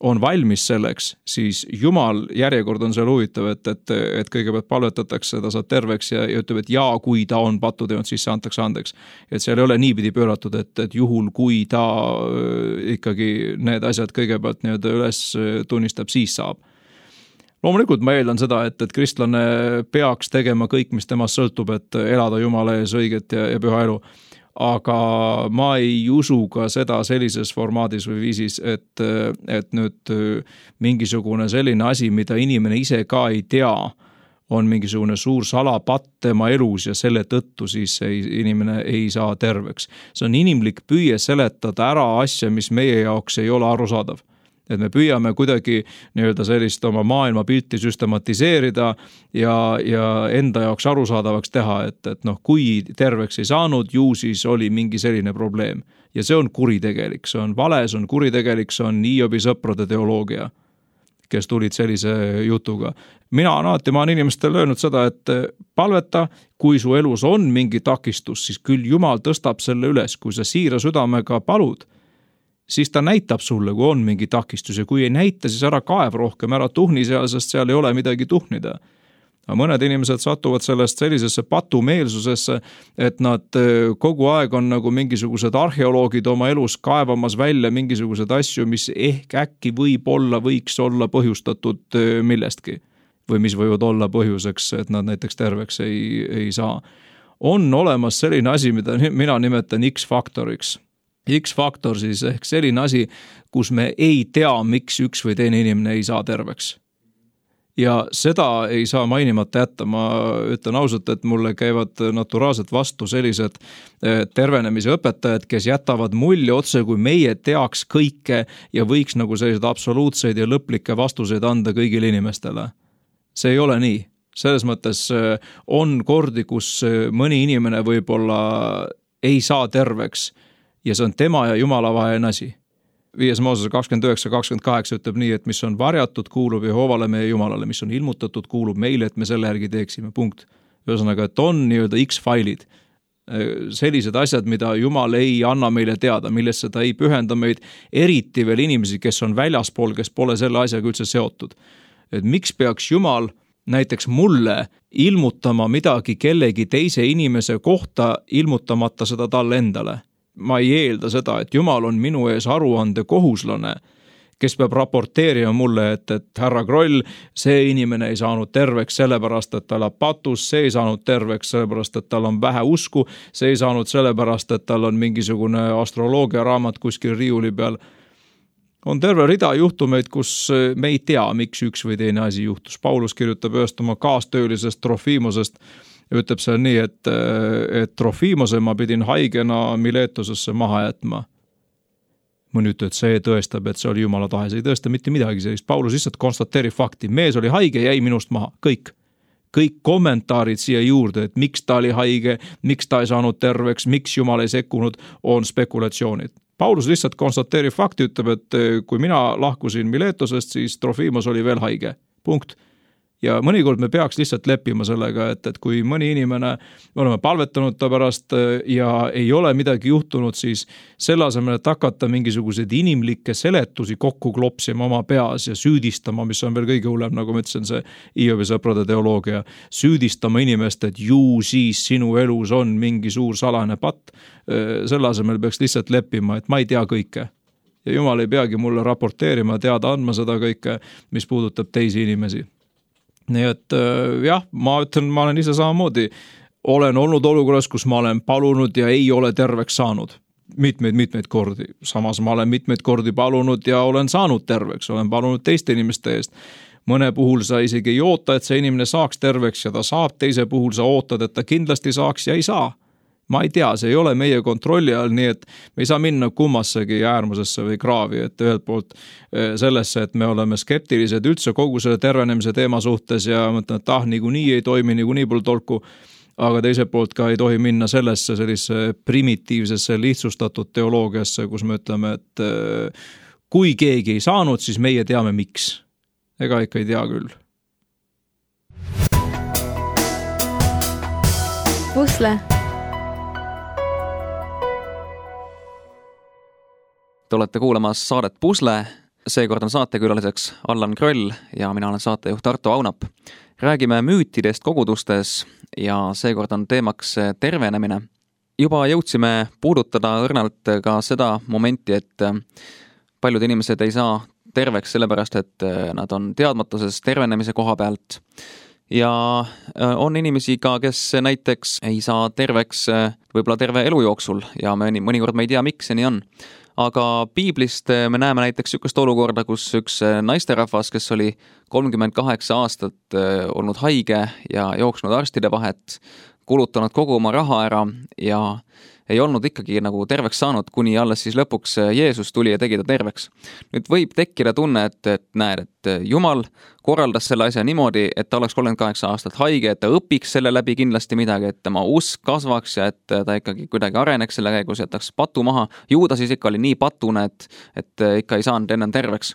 on valmis selleks, siis Jumal järjekord on seal huvitav, et, et, et kõigepealt palvetatakse, ta saab terveks ja, ja ütleb, et ja kui ta on pattu teinud, siis see antakse andeks. Et seal ei ole niipidi pööratud, et, et juhul kui ta ikkagi need asjad kõigepealt nii-öelda üles tunnistab, siis saab. Loomulikult ma eeldan seda, et, et kristlane peaks tegema kõik, mis temast sõltub, et elada Jumala ees õiget ja, ja püha elu. Aga ma ei usu ka seda sellises formaadis või viisis, et, et nüüd mingisugune selline asi, mida inimene ise ka ei tea, on mingisugune suur salapatt tema elus ja selle tõttu siis ei, inimene ei saa terveks. See on inimlik püüe seletada ära asja, mis meie jaoks ei ole arusaadav. Et me püüame kuidagi nii-öelda sellist oma maailma pilti süstematiseerida ja, ja enda jaoks arusaadavaks teha, et, et noh, kui terveks ei saanud, ju siis oli mingi selline probleem. Ja see on kuritegelik, see on vale, see on kuritegelik, see on Hiobi sõprade teoloogia, kes tulid sellise jutuga. Mina on alati, ma olen inimestele öelnud seda, et palveta, kui su elus on mingi takistus, siis küll Jumal tõstab selle üles, kui sa siira südamega palud, siis ta näitab sulle, kui on mingi takistus ja kui ei näita, siis ära kaev rohkem, ära tuhni seal, sest seal ei ole midagi tuhnida. Aga mõned inimesed satuvad sellest sellisesse patumeelsusesse, et nad kogu aeg on nagu mingisugused arheoloogid oma elus kaevamas välja mingisugused asju, mis ehk äkki võib olla, võiks olla põhjustatud millestki või mis võivad olla põhjuseks, et nad näiteks terveks ei, ei saa. On olemas selline asi, mida mina nimetan X-faktoriks. X-faktor siis ehk selline asi, kus me ei tea, miks üks või teine inimene ei saa terveks. Ja seda ei saa mainimata jätta. Ma ütlen ausalt, et mulle käivad naturaalselt vastu sellised tervenemise õpetajad, kes jätavad mulje otse, kui meie teaks kõike ja võiks nagu sellised absoluutseid ja lõplikke vastuseid anda kõigile inimestele. See ei ole nii. Selles mõttes on kordi, kus mõni inimene võib-olla ei saa terveks ja see on tema ja Jumala vaheline asi. Viies Moosese kakskümmend üheksa kakskümmend kaheksa ütleb nii, et mis on varjatud, kuulub Jehovale meie Jumalale, mis on ilmutatud, kuulub meile, et me selle järgi teeksime. Punkt. Ühesõnaga, et on nii-öelda X-failid. Sellised asjad, mida Jumal ei anna meile teada, millesse ta ei pühenda meid, eriti veel inimesi, kes on väljaspool, kes pole selle asjaga üldse seotud. Et miks peaks Jumal näiteks mulle ilmutama midagi kellegi teise inimese kohta, ilmutamata seda talle endale? Ma ei eelda seda, et Jumal on minu ees aruande kohuslane, kes peab raporteerima mulle, et, et härra Kroll, see inimene ei saanud terveks sellepärast, et tal on patus, see ei saanud terveks sellepärast, et tal on vähe usku, see ei saanud sellepärast, et tal on mingisugune astroloogia raamat kuskil riiuli peal. On terve rida juhtumeid, kus me ei tea, miks üks või teine asi juhtus. Paulus kirjutab ühest oma kaastöölisest Trofiimosest, ütleb seal nii, et, et Trofiimose ma pidin haigena Miletusesse maha jätma. Mõni ütleb, et see tõestab, et see oli Jumala tahe. See ei tõesta mitte midagi sellist. Paulus lihtsalt konstateerib fakti. Mees oli haige, jäi minust maha. Kõik. Kõik kommentaarid siia juurde, et miks ta oli haige, miks ta ei saanud terveks, miks Jumal ei sekkunud, on spekulatsioonid. Paulus lihtsalt konstateerib fakti, ütleb, et kui mina lahkusin Miletusest, siis Trofiimos oli veel haige. Punkt. ja mõnikord me peaks lihtsalt leppima sellega, et, et kui mõni inimene, me oleme palvetanud ta pärast ja ei ole midagi juhtunud, siis selle asemel, et hakata mingisuguseid inimlikke seletusi kokku klopsima oma peas ja süüdistama, mis on veel kõige hullem, nagu ma ütlesin, see Hiobi sõprade teoloogia, süüdistama inimest, et ju siis sinu elus on mingi suur salane patt, selle asemel peaks lihtsalt leppima, et ma ei tea kõike. Ja Jumal ei peagi mulle raporteerima, teada andma seda kõike, mis puudutab teisi inimesi. Nii et jah, ma ütlen, ma olen ise samamoodi, olen olnud olukorras, kus ma olen palunud ja ei ole terveks saanud. Mitmeid, mitmeid kordi. Samas ma olen mitmeid kordi palunud ja olen saanud terveks, olen palunud teiste inimeste eest. Mõne puhul sa isegi ei oota, et see inimene saaks terveks ja ta saab, teise puhul sa ootad, et ta kindlasti saaks ja ei saa. Ma ei tea, see ei ole meie kontrolli all, nii et me ei saa minna kummassegi äärmusesse või kraavi, et ühelt poolt sellesse, et me oleme skeptilised üldse kogu selle tervenemise teema suhtes ja mõtlen, et ah, niikuinii ei toimi, niikuinii pole tolku, aga teiselt poolt ka ei tohi minna sellesse sellise primitiivsesse lihtsustatud teoloogiasse, kus me ütleme, et kui keegi ei saanud, siis meie teame miks. Ega ikka ei tea küll. Pusle. Te olete kuulamas saadet Pusle, seekord on saatekülaliseks Allan Kröll ja mina olen saatejuht Arto Aunap. Räägime müütidest kogudustes ja seekord on teemaks tervenemine. Juba jõudsime puudutada õrnalt ka seda momenti, et paljud inimesed ei saa terveks sellepärast, et nad on teadmatuses tervenemise koha pealt. Ja on inimesi ka, kes näiteks ei saa terveks võib-olla terve elu jooksul ja mõnikord me ei tea, miks see nii on. Aga piiblist me näeme näiteks sükest olukorda, kus üks naisterahvas, kes oli kolmkümmend kaheksa aastat olnud haige ja jooksnud arstide vahet, kulutanud kogu oma raha ära ja ei olnud ikkagi nagu terveks saanud, kuni alles siis lõpuks Jeesus tuli ja tegi ta terveks. Nüüd võib tekkida tunne, et, et näed, et Jumal korraldas selle asja niimoodi, et ta oleks kolmkümmend kaheksa aastat haige, et ta õpiks selle läbi kindlasti midagi, et tema usk kasvaks ja et ta ikkagi kuidagi areneks selle käigus, jätaks patu maha. Ju ta siis ikka oli nii patune, et, et ikka ei saanud enne terveks.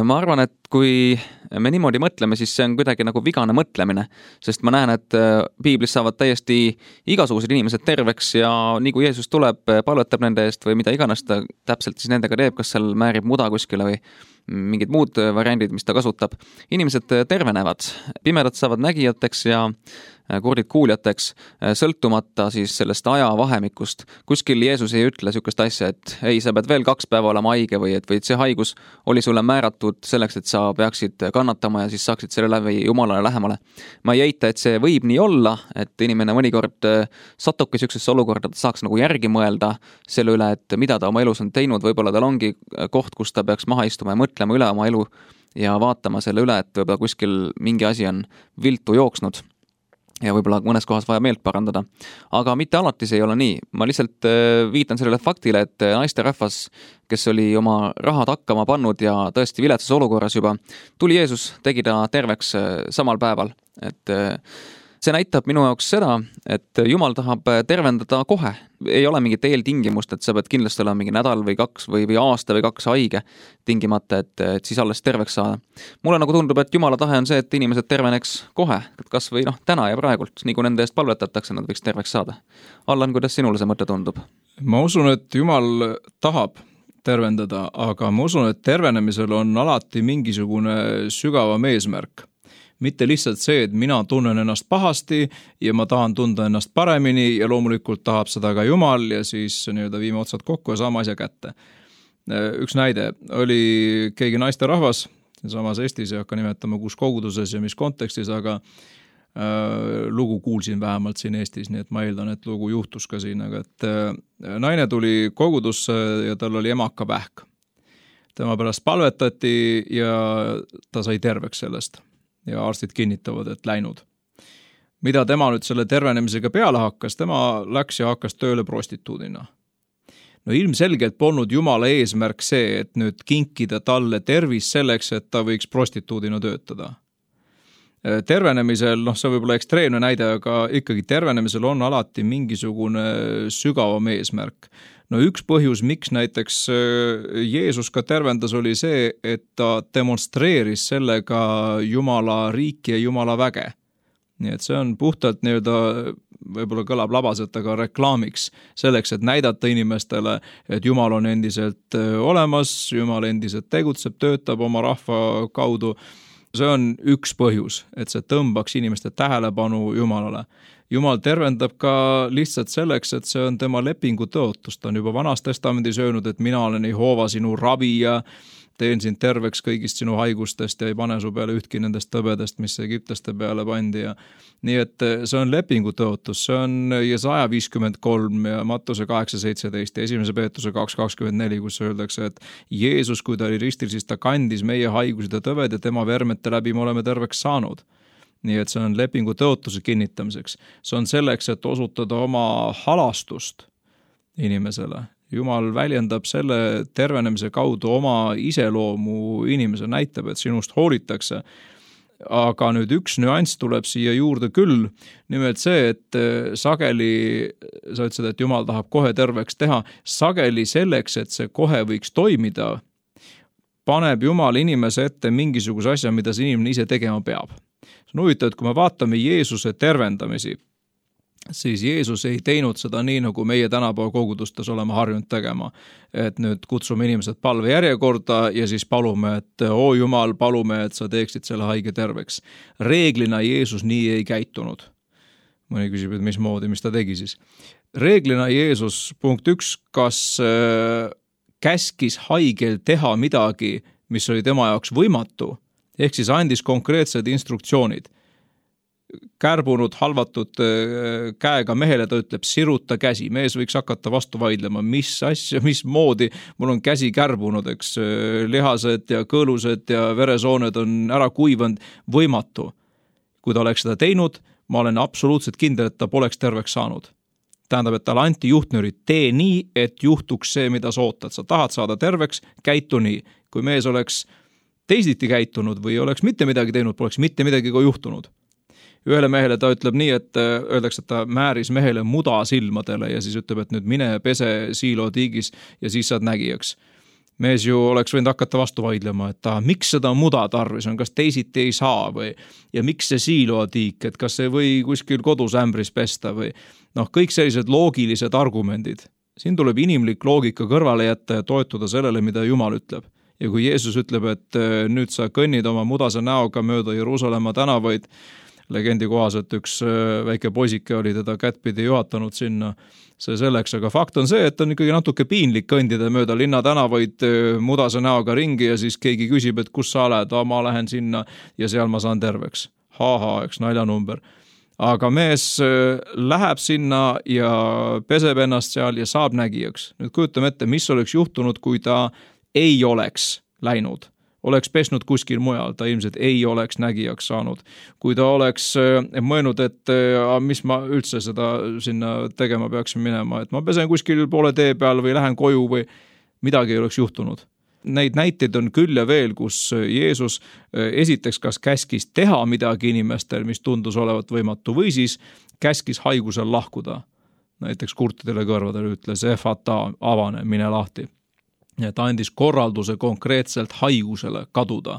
Ma arvan, et kui me niimoodi mõtleme, siis see on kuidagi nagu vigane mõtlemine, sest ma näen, et piiblis saavad täiesti igasugused inimesed terveks ja nii kui Jeesus tuleb, palvetab nende eest või mida iganes ta täpselt siis nendega teeb, kas seal määrib muda kuskile või mingid muud variandid, mis ta kasutab. Inimesed tervenevad, pimedad saavad nägijateks ja kurdid kuuljateks, sõltumata siis sellest aja vahemikust. Kuskil Jeesus ei ütle sükest asja, et ei, sa pead veel kaks päeva olema haige või et, või et see haigus oli sulle määratud selleks, et sa peaksid kannatama ja siis saaksid selle läbi Jumalale lähemale. Ma ei eita, et see võib nii olla, et inimene mõnikord satubki sükesesse olukorda, et saaks nagu järgi mõelda selle üle, et mida ta oma elus on teinud, võib-olla tal ongi koht, kus ta peaks maha istuma ja mõtlema üle oma elu ja vaatama selle üle, et võib-olla kuskil mingi asi on viltu jooksnud ja võib-olla mõnes kohas vaja meelt parandada. Aga mitte alati see ei ole nii. Ma lihtsalt viitan sellele faktile, et naisterahvas, kes oli oma rahad hakkama pannud ja tõesti viletsas olukorras juba, tuli Jeesus, tegi ta terveks samal päeval. Et see näitab minu jaoks seda, et Jumal tahab tervendada kohe. Ei ole mingit eeltingimust, et sa pead kindlasti olema mingi nädal või kaks või, või aasta või kaks haige tingimata, et, et siis alles terveks saada. Mulle nagu tundub, et Jumala tahe on see, et inimesed terveneks kohe, kas või noh, täna ja praegult, nii kui nende eest palvetatakse, nad võiks terveks saada. Allan, kuidas sinule see mõte tundub? Ma usun, et Jumal tahab tervendada, aga ma usun, et tervenemisel on alati mingisugune sügavam eesmärk. Mitte lihtsalt see, et mina tunnen ennast pahasti ja ma tahan tunda ennast paremini ja loomulikult tahab seda ka Jumal ja siis nii-öelda viime otsad kokku ja saame asja kätte. Üks näide oli keegi naisterahvas, samas Eestis ei hakka nimetama kus koguduses ja mis kontekstis, aga äh, lugu kuulsin vähemalt siin Eestis, nii et ma eeldan, et lugu juhtus ka siin, aga et äh, naine tuli kogudusse ja tal oli emaka vähk. Tema pärast palvetati ja ta sai terveks sellest. Ja arstid kinnitavad, et läinud. Mida tema nüüd selle tervenemisega peale hakkas, tema läks ja hakkas tööle prostituudina. No ilmselgelt polnud Jumala eesmärk see, et nüüd kinkida talle tervis selleks, et ta võiks prostituudina töötada. Tervenemisel, noh see võib olla ekstreemne näide, aga ikkagi tervenemisel on alati mingisugune sügavam eesmärk. no üks põhjus, miks näiteks Jeesus ka tervendas, oli see, et ta demonstreeris sellega Jumala riiki ja Jumala väge. Nii et see on puhtalt nii-öelda, võib-olla kõlab labaselt, aga reklaamiks selleks, et näidata inimestele, et Jumal on endiselt olemas, Jumal endiselt tegutseb, töötab oma rahva kaudu. See on üks põhjus, et see tõmbaks inimeste tähelepanu Jumalale. Jumal tervendab ka lihtsalt selleks, et see on tema lepingu tõotus. Ta on juba Vanas testamendis öelnud, et mina olen Jehova sinu ravi ja teen sind terveks kõigist sinu haigustest ja ei pane su peale ühtki nendest tõbedest, mis egiptlaste peale pandi. Ja nii et see on lepingu tõotus, see on Jesaja viiskümmend kolm ja Mattuse kaheksa seitseteist ja esimese Peetruse kaks kakskümmend neli, kus öeldakse, et Jeesus, kui ta oli ristil, siis ta kandis meie haigused ja tõved ja tema vermete läbi me oleme terveks saanud. Nii et see on lepingu tõotuse kinnitamiseks. See on selleks, et osutada oma halastust inimesele. Jumal väljendab selle tervenemise kaudu oma iseloomu inimese, näitab, et sinust hoolitakse. Aga nüüd üks nüanss tuleb siia juurde küll, nimelt see, et sageli, sa ütlesid, et Jumal tahab kohe terveks teha, sageli selleks, et see kohe võiks toimida, paneb Jumal inimese ette mingisuguse asja, mida see inimene ise tegema peab. See on huvitav, et kui me vaatame Jeesuse tervendamisi, siis Jeesus ei teinud seda nii, nagu meie tänapäeva kogudustes oleme harjunud tegema. Et nüüd kutsume inimesed palve järjekorda ja siis palume, et oo Jumal, palume, et sa teeksid selle haige terveks. Reeglina Jeesus nii ei käitunud. Mõni küsib, et mismoodi, mis ta tegi siis. Reeglina Jeesus, punkt üks, kas käskis haigel teha midagi, mis oli tema jaoks võimatu, ehk siis andis konkreetsed instruktsioonid. Kärbunud, halvatud käega mehele ta ütleb, siruta käsi. Mees võiks hakata vastu vaidlema, mis asja, mis moodi mul on käsi kärbunud, eks lihased ja kõõlused ja veresooned on ära kuivanud, võimatu. Kui ta oleks seda teinud, ma olen absoluutselt kindel, et ta poleks terveks saanud. Tähendab, et talle anti juhtnöörid, tee nii, et juhtuks see, mida sa ootad. Sa tahad saada terveks, käitu nii. Kui mees oleks teisiti käitunud või oleks mitte midagi teinud, poleks mitte midagi ka juhtunud. Ühele mehele ta ütleb nii, et öeldakse, et ta määris mehele muda silmadele ja siis ütleb, et nüüd mine pese siilo tiigis ja siis saad nägijaks. Mees ju oleks võinud hakata vastu vaidlema, et ta, miks seda muda tarvis on, kas teisiti ei saa või ja miks see siilo tiik, et kas see või kuskil kodus ämbris pesta või noh, kõik sellised loogilised argumendid. Siin tuleb inimlik loogika kõrvale jätta ja toetuda sellele, mida Jumal ütleb. Ja kui Jeesus ütleb, et nüüd sa kõnnid oma mudase näoga mööda Jeruusalemma tänavaid, legendi kohaselt üks väike poisike oli teda kättpidi juhatanud sinna, see selleks, aga fakt on see, et on ikkagi natuke piinlik kõndida mööda linna tänavaid mudase näoga ringi ja siis keegi küsib, et kus sa oled, ma lähen sinna ja seal ma saan terveks. Ha-ha, eks naljanumber. Aga mees läheb sinna ja peseb ennast seal ja saab nägijaks. Nüüd kujutame ette, mis oleks juhtunud, kui ta ei oleks läinud. Oleks pesnud kuskil mujal, ta ilmselt ei oleks nägijaks saanud. Kui ta oleks mõelnud, et mis ma üldse seda sinna tegema peaksin minema, et ma pesen kuskil poole tee peal või lähen koju või midagi ei oleks juhtunud. Neid näiteid on küll ja veel, kus Jeesus esiteks kas käskis teha midagi inimestel, mis tundus olevat võimatu, või siis käskis haigusel lahkuda. Näiteks kurtidele kõrvadele ütles, efata, avane, mine lahti. Ja ta andis korralduse konkreetselt haigusele kaduda.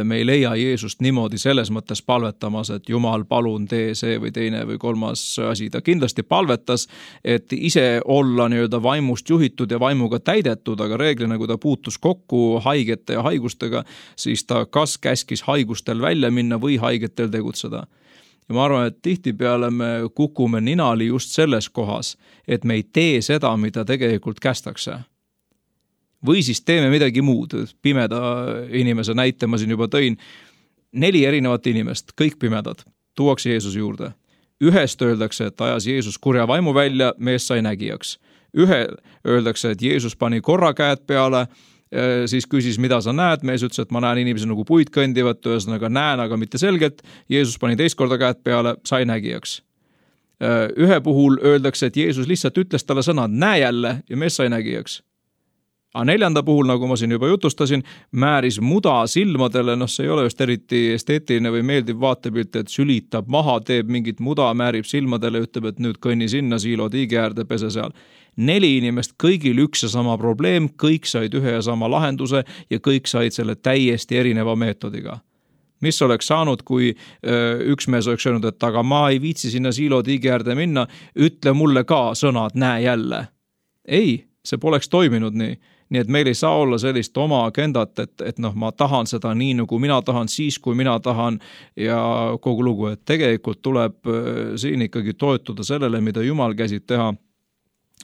Me ei leia Jeesust niimoodi selles mõttes palvetamas, et Jumal palun tee see või teine või kolmas asi. Ta kindlasti palvetas, et ise olla nii-öelda vaimust juhitud ja vaimuga täidetud, aga reeglina, kui ta puutus kokku haigete ja haigustega, siis ta kas käskis haigustel välja minna või haigetel tegutseda. Ja ma arvan, et tihtipeale me kukume ninali just selles kohas, et me ei tee seda, mida tegelikult kästakse. Või siis teeme midagi muud. Pimeda inimese näite ma siin juba tõin. Neli erinevat inimest, kõik pimedad, tuuakse Jeesuse juurde. Ühest öeldakse, et ajas Jeesus kurja vaimu välja, mees sai nägijaks. Ühe öeldakse, et Jeesus pani korra käed peale, siis küsis, mida sa näed. Mees ütles, et ma näen inimesi nagu puid kõndivat, ühesõnaga näen, aga mitte selgelt. Jeesus pani teist korda käed peale, sai nägijaks. Ühe puhul öeldakse, et Jeesus lihtsalt ütles talle sõnad, näe jälle ja mees sai nägijaks. Aga neljanda puhul, nagu ma siin juba jutustasin, määris muda silmadele, noh see ei ole just eriti esteetiline või meeldiv vaatepilt, et sülitab maha, teeb mingit muda, määrib silmadele, ütleb, et nüüd kõnni sinna siilo tiigi äärde, pese seal. Neli inimest, kõigil üks ja sama probleem, kõik said ühe ja sama lahenduse ja kõik said selle täiesti erineva meetodiga. Mis oleks saanud, kui öö, üks mees oleks öelnud, et aga ma ei viitsi sinna siilo tiigi äärde minna, ütle mulle ka sõnad, näe jälle. Ei, see poleks toiminud nii. Nii et meil ei saa olla sellist oma agendat, et, et noh, ma tahan seda nii, nagu mina tahan, siis kui mina tahan ja kogu lugu, et tegelikult tuleb siin ikkagi toetuda sellele, mida Jumal käsid teha.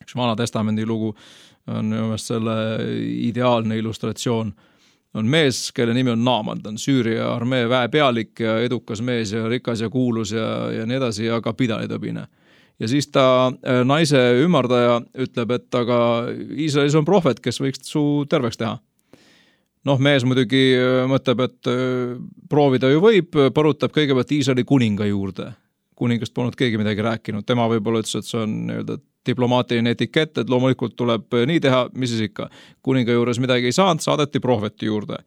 Üks Vana Testamendi lugu on selle ideaalne illustratsioon. On mees, kelle nimi on Naaman, ta on Süüria armee väepealik ja edukas mees ja rikas ja kuulus ja, ja nii edasi, aga pidalitõbine. Ja siis ta naise ümardaja ütleb, et aga Iisraelis on prohvet, kes võiks su terveks teha. Noh, mees muidugi mõtleb, et proovida ju võib, põrutab kõigepealt Iisraeli kuninga juurde. Kuningast polnud keegi midagi rääkinud, tema võib-olla ütles, et see on nii-öelda diplomaatiline etikett, et loomulikult tuleb nii teha, mis siis ikka. Kuninga juures midagi ei saanud, saadeti prohveti juurde.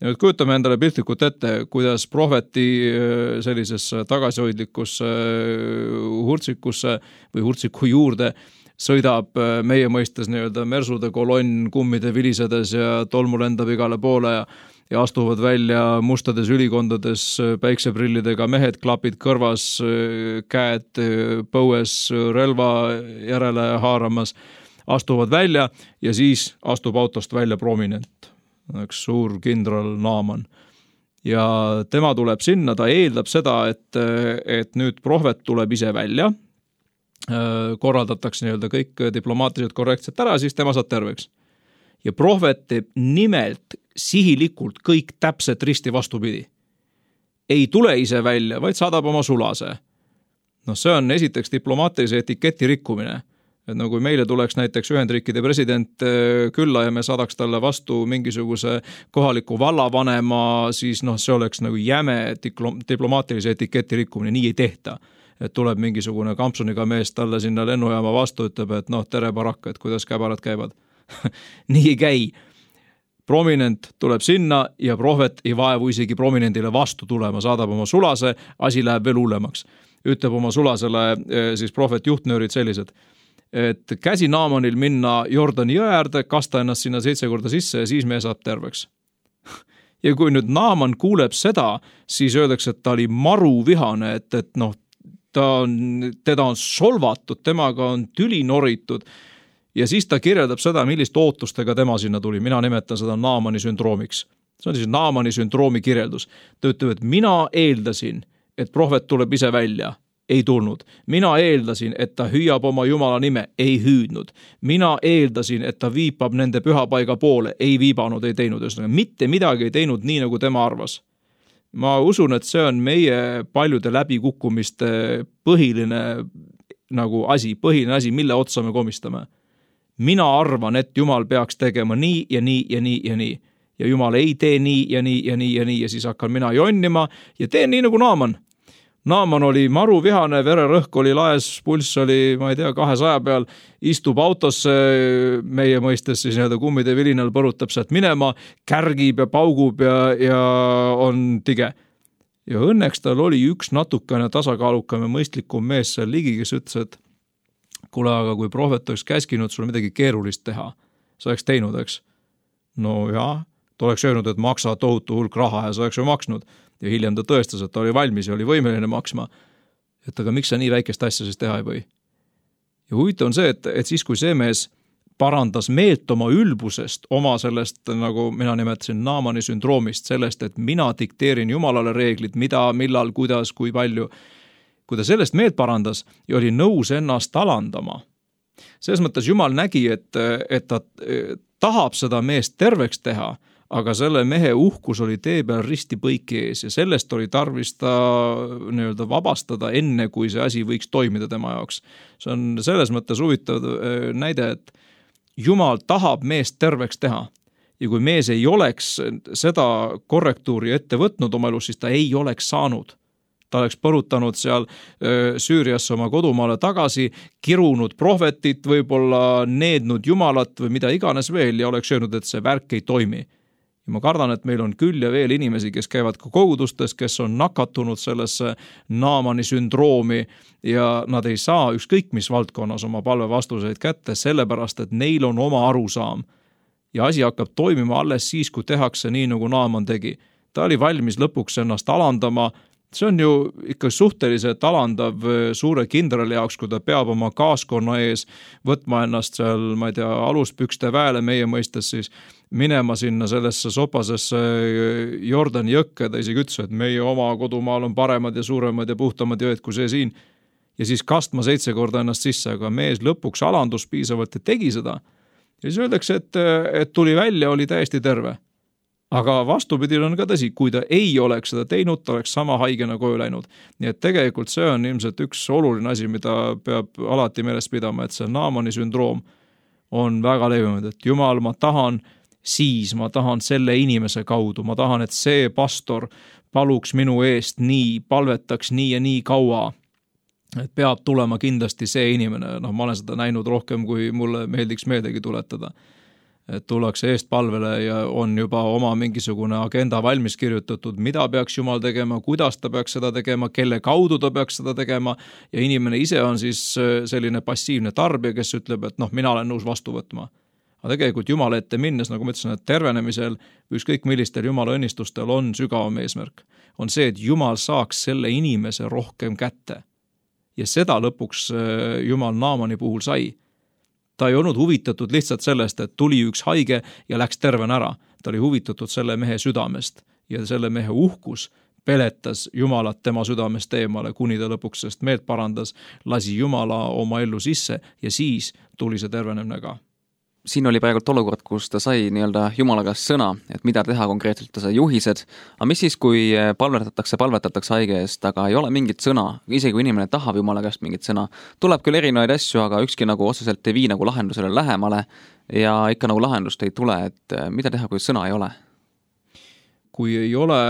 Ja nüüd kujutame endale piltlikult ette, kuidas prohveti sellisesse tagasihoidlikusse hurtsikusse või hurtsiku juurde sõidab meie mõistes nii-öelda mersude kolonn kummide vilisedes ja tolmu lendab igale poole ja ja astuvad välja mustades ülikondades päikseprillidega mehed, klapid kõrvas, käed põues, relva järele haaramas, astuvad välja ja siis astub autost välja prominent, üks suur kindral Naaman. Ja tema tuleb sinna, ta eeldab seda, et, et nüüd prohvet tuleb ise välja, korraldatakse nii-öelda kõik diplomaatiliselt korrektselt ära, siis tema saab terveks. Ja prohvet teeb nimelt sihilikult kõik täpselt risti vastupidi. Ei tule ise välja, vaid saadab oma sulase. No see on esiteks diplomaatilise etiketi rikkumine. Et no kui meile tuleks näiteks Ühendriikide president külla ja me saadaks talle vastu mingisuguse kohaliku vallavanema, siis noh, see oleks nagu jäme diplomaatilise etiketi rikkumine, nii ei tehta. Et tuleb mingisugune kampsuniga mees talle sinna lennujaama vastu, ütleb, et noh, tere barakka, et kuidas käbarad käivad. Nii ei käi. Prominent tuleb sinna ja prohvet ei vaevu isegi prominendile vastu tulema, saadab oma sulase, asi läheb veel hullemaks. Ütleb oma sulasele siis prohvet juhtnöörid sellised, et käsi Naamanil minna Jordani jõe äärde, kasta ennast sinna seitse korda sisse ja siis me saab terveks. Ja kui nüüd Naaman kuuleb seda, siis öeldakse, et ta oli maru vihane, et, et noh, ta on, teda on solvatud, temaga on tüli noritud. Ja siis ta kirjeldab seda, millist ootustega tema sinna tuli. Mina nimetan seda Naamani sündroomiks. See on siis Naamani sündroomi kirjeldus. Ta ütleb, et mina eeldasin, et prohvet tuleb ise välja. Ei tulnud. Mina eeldasin, et ta hüüab oma Jumala nime. Ei hüüdnud. Mina eeldasin, et ta viipab nende pühapaiga poole. Ei viibanud, ei teinud. Mitte midagi ei teinud nii, nagu tema arvas. Ma usun, et see on meie paljude läbikukkumiste põhiline nagu asi, põhiline asi, mille otsa me komistame. Mina arvan, et Jumal peaks tegema nii ja nii ja nii ja nii. Ja Jumal ei tee nii ja nii ja nii ja nii ja siis hakkan mina jonnima ja teen nii nagu Naaman. Naaman oli maru vihane, vererõhk oli laes, pulss oli, ma ei tea, kahesaja peal, istub autosse meie mõistes siis nii-öelda kummide vilinal põrutab sealt minema, kärgib ja paugub ja, ja on tige. Ja õnneks tal oli üks natukene tasakaalukam ja mõistlikum mees seal ligi, kes ütles, et kuule, aga kui prohvet oleks käskinud sul midagi keerulist teha, sa oleks teinud, eks? No jaa, ta oleks öelnud, et maksa tohutu hulk raha ja sa oleks ju maksnud. Ja hiljem ta tõestas, et ta oli valmis ja oli võimeline maksma. Et aga miks sa nii väikest asja siis teha ei või? Ja huvitav on see, et, et siis kui see mees parandas meelt oma ülbusest, oma sellest, nagu mina nimetasin Naamani sündroomist, sellest, et mina dikteerin Jumalale reeglid, mida, millal, kuidas, kui palju, kui ta sellest meelt parandas ja oli nõus ennast alandama. Selles mõttes Jumal nägi, et, et ta tahab seda meest terveks teha, aga selle mehe uhkus oli tee peal risti põiki ees ja sellest oli tarvis ta nii-öelda vabastada enne, kui see asi võiks toimida tema jaoks. See on selles mõttes huvitav näide, et Jumal tahab meest terveks teha ja kui mees ei oleks seda korrektuuri ette võtnud oma elus, siis ta ei oleks saanud. Ta oleks põrutanud seal Süüriasse oma kodumaale tagasi, kirunud prohvetit, võib-olla neednud Jumalat või mida iganes veel ja oleks öelnud, et see värk ei toimi. ja ma kardan, et meil on küll ja veel inimesi, kes käivad ka kogudustes, kes on nakatunud sellesse Naamani sündroomi ja nad ei saa ükskõik mis valdkonnas oma palvevastuseid kätte, sellepärast et neil on oma arusaam. Ja asi hakkab toimima alles siis, kui tehakse nii, nagu Naaman tegi. Ta oli valmis lõpuks ennast alandama. See on ju ikka suhteliselt alandav suure kindrali jaoks, kui ta peab oma kaaskonna ees võtma ennast seal, ma ei tea, aluspükste väele meie mõistes siis minema sinna sellesse sopasesse Jordani jõkke. Ta isegi ütles, et meie oma kodumaal on paremad ja suuremad ja puhtamad jõed kui see siin. Ja siis kastma seitse korda ennast sisse, aga mees lõpuks alandus piisavalt ja tegi seda. Ja siis öeldakse, et, et tuli välja, oli täiesti terve. Aga vastupidi on ka tõsi, kui ta ei oleks seda teinud, ta oleks sama haigena koju läinud. Nii et tegelikult see on ilmselt üks oluline asi, mida peab alati meeles pidama, et see Naamani sündroom on väga levinud, et Jumal, ma tahan siis, ma tahan selle inimese kaudu, ma tahan, et see pastor paluks minu eest nii, palvetaks nii ja nii kaua, et peab tulema kindlasti see inimene. No, ma olen seda näinud rohkem, kui mulle meeldiks meeldegi tuletada. Et tullakse eest palvele ja on juba oma mingisugune agenda valmis kirjutatud, mida peaks Jumal tegema, kuidas ta peaks seda tegema, kelle kaudu ta peaks seda tegema ja inimene ise on siis selline passiivne tarbija, kes ütleb, et noh, mina olen nõus vastu võtma. Aga tegelikult Jumala ette minnes, nagu ma ütlesin, et tervenemisel ükskõik millistel Jumala õnnistustel on sügavam eesmärk. On see, et Jumal saaks selle inimese rohkem kätte. Ja seda lõpuks Jumal Naamani puhul sai. Ta ei olnud huvitatud lihtsalt sellest, et tuli üks haige ja läks terven ära. Ta oli huvitatud selle mehe südamest ja selle mehe uhkus peletas Jumalat tema südamest eemale, kuni ta lõpuks sest meelt parandas, lasi Jumala oma ellu sisse ja siis tuli see tervenemine ka. Siin oli praegult olukord, kus ta sai nii-öelda Jumala käest sõna, et mida teha konkreetselt, ta sai juhised. Aga mis siis, kui palvetatakse, palvetatakse haige eest, aga ei ole mingit sõna, isegi kui inimene tahab Jumala käest mingit sõna, tuleb küll erinevaid asju, aga ükski nagu otseselt ei vii nagu lahendusele lähemale ja ikka nagu lahendust ei tule, et mida teha, kui sõna ei ole? Kui ei ole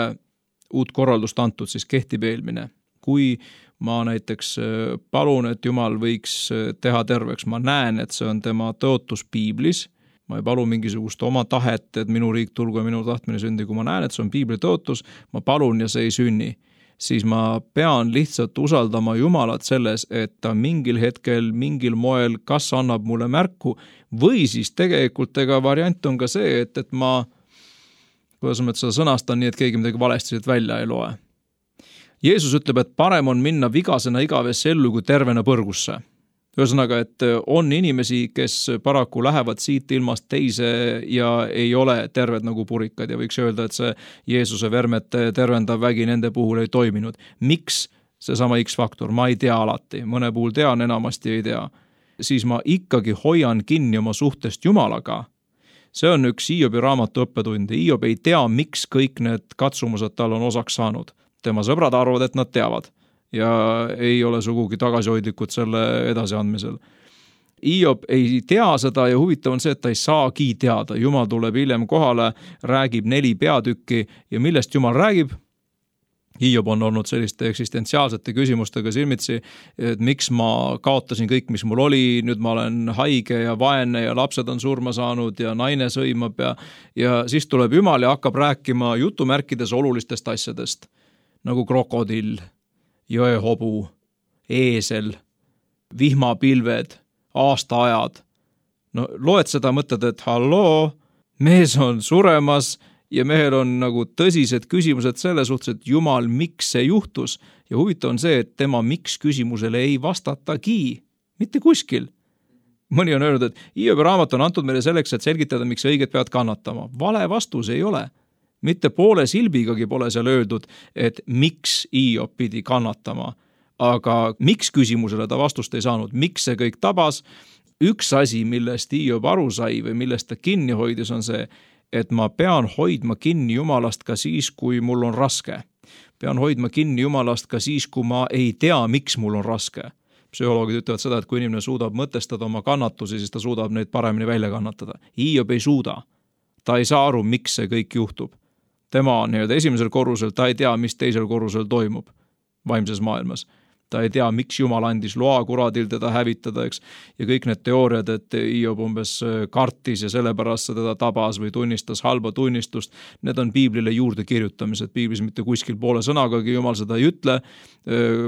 uut korraldust antud, siis kehtib eelmine. Kui ma näiteks palun, et Jumal võiks teha terveks. Ma näen, et see on tema tõotus piiblis. Ma ei palu mingisugust oma tahet, et minu riik tulgu ja minu tahtmine sündi. Kui ma näen, et see on piibli tõotus, ma palun ja see ei sünni. Siis ma pean lihtsalt usaldama Jumalat selles, et ta mingil hetkel, mingil moel kas annab mulle märku või siis tegelikult ega variant on ka see, et, et ma, kuidas ma seda sõnastan nii, et keegi midagi valesti välja ei loe. Jeesus ütleb, et parem on minna vigasena igavesse ellu kui tervena põrgusse. Ühesõnaga, et on inimesi, kes paraku lähevad siit ilmast teise ja ei ole terved nagu purikad ja võiks öelda, et see Jeesuse vermete tervendav vägi nende puhul ei toiminud. Miks seesama X-faktor? Ma ei tea alati. Mõne puhul tean, enamasti ei tea. Siis ma ikkagi hoian kinni oma suhtest Jumalaga. See on üks Hiobi raamatu õppetund. Hiob ei tea, miks kõik need katsumused tal on osaks saanud. Tema sõbrad arvavad, et nad teavad ja ei ole sugugi tagasihoidlikud selle edasiandmisel. Hiob ei tea seda ja huvitav on see, et ta ei saagi teada. Jumal tuleb hiljem kohale, räägib neli peatükki ja millest Jumal räägib? Hiob on olnud selliste eksistentsiaalsete küsimustega silmitsi, et miks ma kaotasin kõik, mis mul oli, nüüd ma olen haige ja vaene ja lapsed on surma saanud ja naine sõimab ja, ja siis tuleb Jumal ja hakkab rääkima jutumärkides olulistest asjadest. Nagu krokodill, jõehobu, eesel, vihmapilved, aastaajad. No loed seda, mõtled, et halloo, mees on suremas ja mehel on nagu tõsised küsimused selle suhtes, et Jumal, miks see juhtus? Ja huvitav on see, et tema miks küsimusele ei vastatagi, mitte kuskil. Mõni on öelnud, et Hiobi raamat on antud meile selleks, et selgitada, miks õiged peavad kannatama. Vale vastus ei ole. Mitte poole silbigagi pole seal öeldud, et miks Hiob pidi kannatama, aga miks küsimusele ta vastust ei saanud, miks see kõik tabas. Üks asi, millest Hiob aru sai või millest ta kinni hoidis, on see, et ma pean hoidma kinni Jumalast ka siis, kui mul on raske. Pean hoidma kinni Jumalast ka siis, kui ma ei tea, miks mul on raske. Psühholoogid ütlevad seda, et kui inimene suudab mõtestada oma kannatusi, siis ta suudab neid paremini välja kannatada. Hiob ei suuda. Ta ei saa aru, miks see kõik juhtub. Tema on nii-öelda esimesel korrusel, ta ei tea, mis teisel korrusel toimub vaimses maailmas. ta ei tea, miks Jumal andis loa kuradil teda hävitada, eks. Ja kõik need teooriad, et Hiob umbes kartis ja sellepärast see teda tabas või tunnistas halba tunnistust, need on piiblile juurde kirjutamised. Piiblis mitte kuskil poole sõnagagi Jumal seda ei ütle.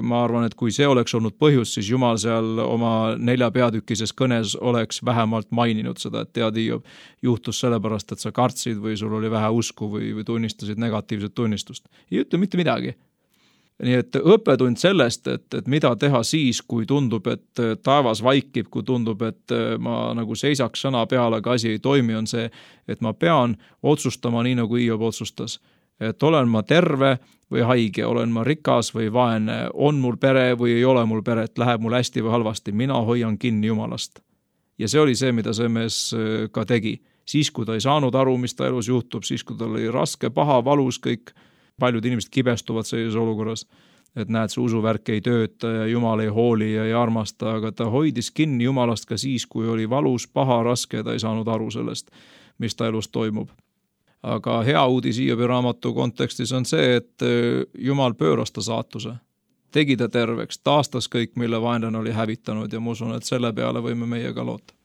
Ma arvan, et kui see oleks olnud põhjus, siis Jumal seal oma nelja peatükises kõnes oleks vähemalt maininud seda, et tead, Hiob juhtus sellepärast, et sa kartsid või sul oli vähe usku või, või tunnistasid negatiivset tunnistust. Ei ütle mitte midagi. Nii et õppetund sellest, et, et mida teha siis, kui tundub, et taevas vaikib, kui tundub, et ma nagu seisaks sõna peale, aga asi ei toimi, on see, et ma pean otsustama nii, nagu Hiob otsustas. Et olen ma terve või haige, olen ma rikas või vaene, on mul pere või ei ole mul peret, läheb mul hästi või halvasti, mina hoian kinni Jumalast. Ja see oli see, mida see mees ka tegi. Siis, kui ta ei saanud aru, mis ta elus juhtub, siis, kui ta oli raske, paha, valus, kõik paljud inimesed kibestuvad sellises olukorras, et näed, see usuvärk ei tööta ja Jumal ei hooli ja ei armasta, aga ta hoidis kinni Jumalast ka siis, kui oli valus, paha, raske ja ta ei saanud aru sellest, mis ta elus toimub. Aga hea uudis Hiobi raamatu kontekstis on see, et Jumal pööras ta saatuse, tegi ta terveks, taastas kõik, mille vaenlane oli hävitanud ja ma usun, et selle peale võime meie ka loota.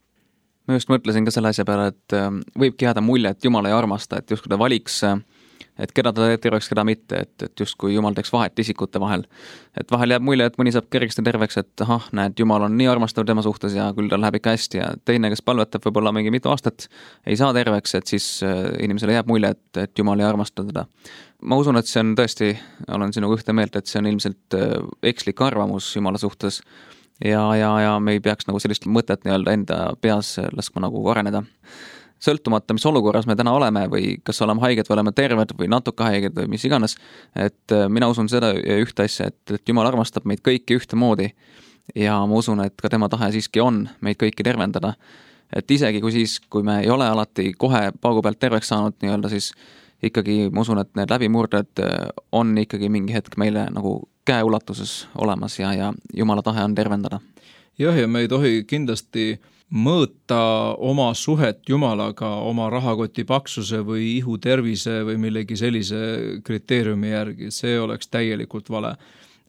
Ma just mõtlesin ka selle asja peale, et võibki jääda mulje, et Jumal ei armasta, et just kui ta valiks et keda ta terveks, keda mitte, et, et just kui Jumal teeks vahet isikute vahel. Et vahel jääb mulje, et mõni saab kergesti terveks, et ahah, näed, Jumal on nii armastav tema suhtes ja küll tal läheb ikka hästi ja teine, kes palvetab võib-olla mingi mitu aastat, ei saa terveks, et siis inimesele jääb mulje, et, et Jumal ei armasta teda. Ma usun, et see on tõesti, olen sinuga ühte meelt, et see on ilmselt ekslik arvamus Jumala suhtes ja, ja, ja me ei peaks nagu sellist mõtet nii-öelda enda peas laskma nagu areneda. Sõltumata, mis olukorras me täna oleme või kas oleme haiged või oleme terved või natuke haiged või mis iganes, et mina usun seda ühte asja, et, et Jumal armastab meid kõiki ühtemoodi ja ma usun, et ka tema tahe siiski on meid kõiki tervendada. Et isegi kui siis, kui me ei ole alati kohe paugu pealt terveks saanud nii-öelda, siis ikkagi ma usun, et need läbimurded on ikkagi mingi hetk meile nagu käeulatuses olemas ja, ja Jumala tahe on tervendada. Jah, ja me ei tohi kindlasti mõõta oma suhet Jumalaga oma rahakoti paksuse või ihu tervise või millegi sellise kriteeriumi järgi. See oleks täielikult vale.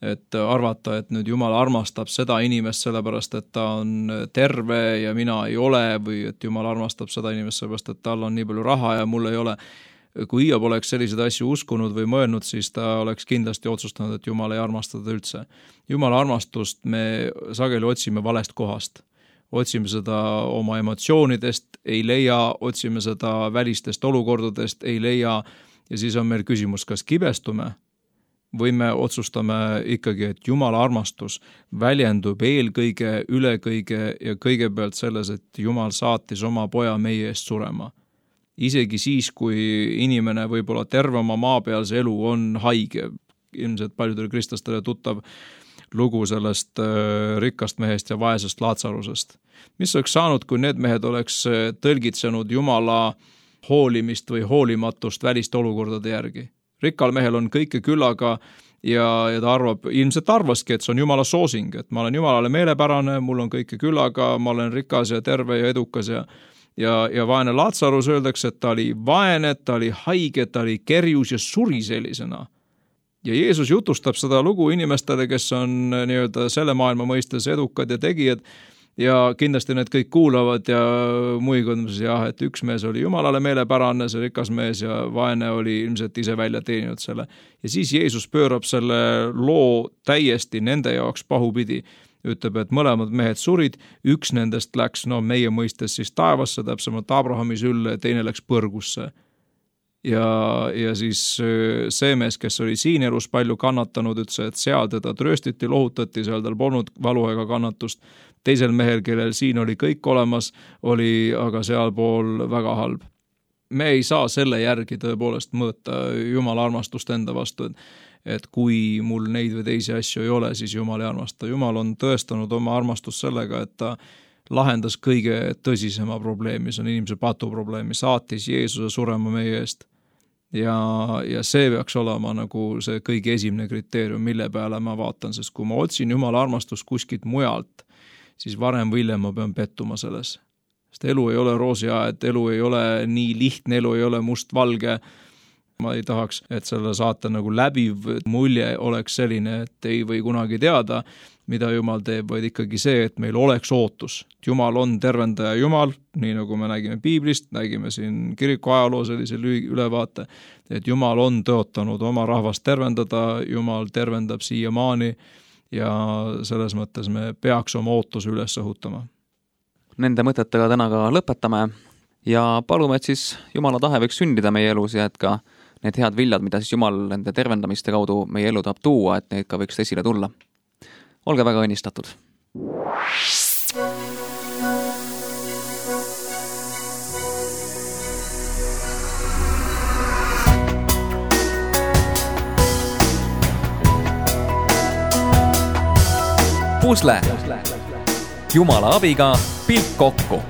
Et arvata, et nüüd Jumal armastab seda inimest sellepärast, et ta on terve ja mina ei ole või et Jumal armastab seda inimest sellepärast, et tal on nii palju raha ja mul ei ole. Kui Hiob oleks selliseid asju uskunud või mõelnud, siis ta oleks kindlasti otsustanud, et Jumal ei armasta teda üldse. Jumala armastust me sageli otsime valest kohast. Otsime seda oma emotsioonidest, ei leia, otsime seda välistest olukordadest, ei leia ja siis on meil küsimus, kas kibestume või me otsustame ikkagi, et Jumala armastus väljendub eelkõige, ülekõige ja kõigepealt selles, et Jumal saatis oma poja meie eest surema. Isegi siis, kui inimene võib-olla terve oma maapealse elu on haige, ilmselt paljudele kristlastele tuttav lugu sellest rikkast mehest ja vaesest Laatsarusest. Mis oleks saanud, kui need mehed oleks tõlgitsenud Jumala hoolimist või hoolimatust väliste olukordade järgi? Rikkal mehel on kõike küllaga ja, ja ta arvab, ilmselt arvaski, et see on Jumala soosing, et ma olen Jumalale meelepärane, mul on kõike küllaga, ma olen rikas ja terve ja edukas ja, ja, ja vaene Laatsarus öeldakse, et ta oli vaene, ta oli haige, ta oli kerjus ja suri sellisena. Ja Jeesus jutustab seda lugu inimestele, kes on nii-öelda selle maailma mõistes edukad ja tegijad ja kindlasti need kõik kuulavad ja muigud, jah, et üks mees oli Jumalale meelepärane, see rikas mees ja vaene oli ilmselt ise välja teeninud selle. Ja siis Jeesus pöörab selle loo täiesti nende jaoks pahupidi. Ütleb, et mõlemad mehed surid, üks nendest läks, no meie mõistes siis taevasse, täpsemalt Abrahami sülle, teine läks põrgusse. Ja, ja siis see mees, kes oli siin elus palju kannatanud, ütles, et seal teda trööstiti, lohutati, seal tal polnud valu ega kannatust. Teisel mehel, kellel siin oli kõik olemas, oli aga sealpool väga halb. Me ei saa selle järgi tõepoolest mõõta Jumala armastust enda vastu, et, et kui mul neid või teisi asju ei ole, siis Jumal ei armasta. Jumal on tõestanud oma armastust sellega, et ta lahendas kõige tõsisema probleemi, see on inimese patuprobleemi, saatis Jeesuse surema meie eest. Ja, ja see peaks olema nagu see kõige esimene kriteerium, mille peale ma vaatan, sest kui ma otsin Jumala armastust kuskilt mujalt, siis varem või hiljem ma pean pettuma selles. Sest elu ei ole roosiaed, elu ei ole nii lihtne, elu ei ole must-valge. ma ei tahaks, et selle saate nagu läbiv mulje oleks selline, et ei või kunagi teada, mida Jumal teeb, vaid ikkagi see, et meil oleks ootus. Jumal on tervendaja Jumal, nii nagu me nägime Piiblist, nägime siin kiriku ajaloo sellise ülevaate, et Jumal on tõotanud oma rahvast tervendada, Jumal tervendab siiamaani ja selles mõttes me peaks oma ootuse üles õhutama. Nende mõtetega täna ka lõpetame ja palume, et siis Jumala tahe võiks sündida meie elus ja et ka need head viljad, mida siis Jumal nende tervendamiste kaudu meie elu tahab tuua, et neid ka võiks esile tulla. Olge väga õnnistatud. Pusle. Jumala abiga pilt kokku.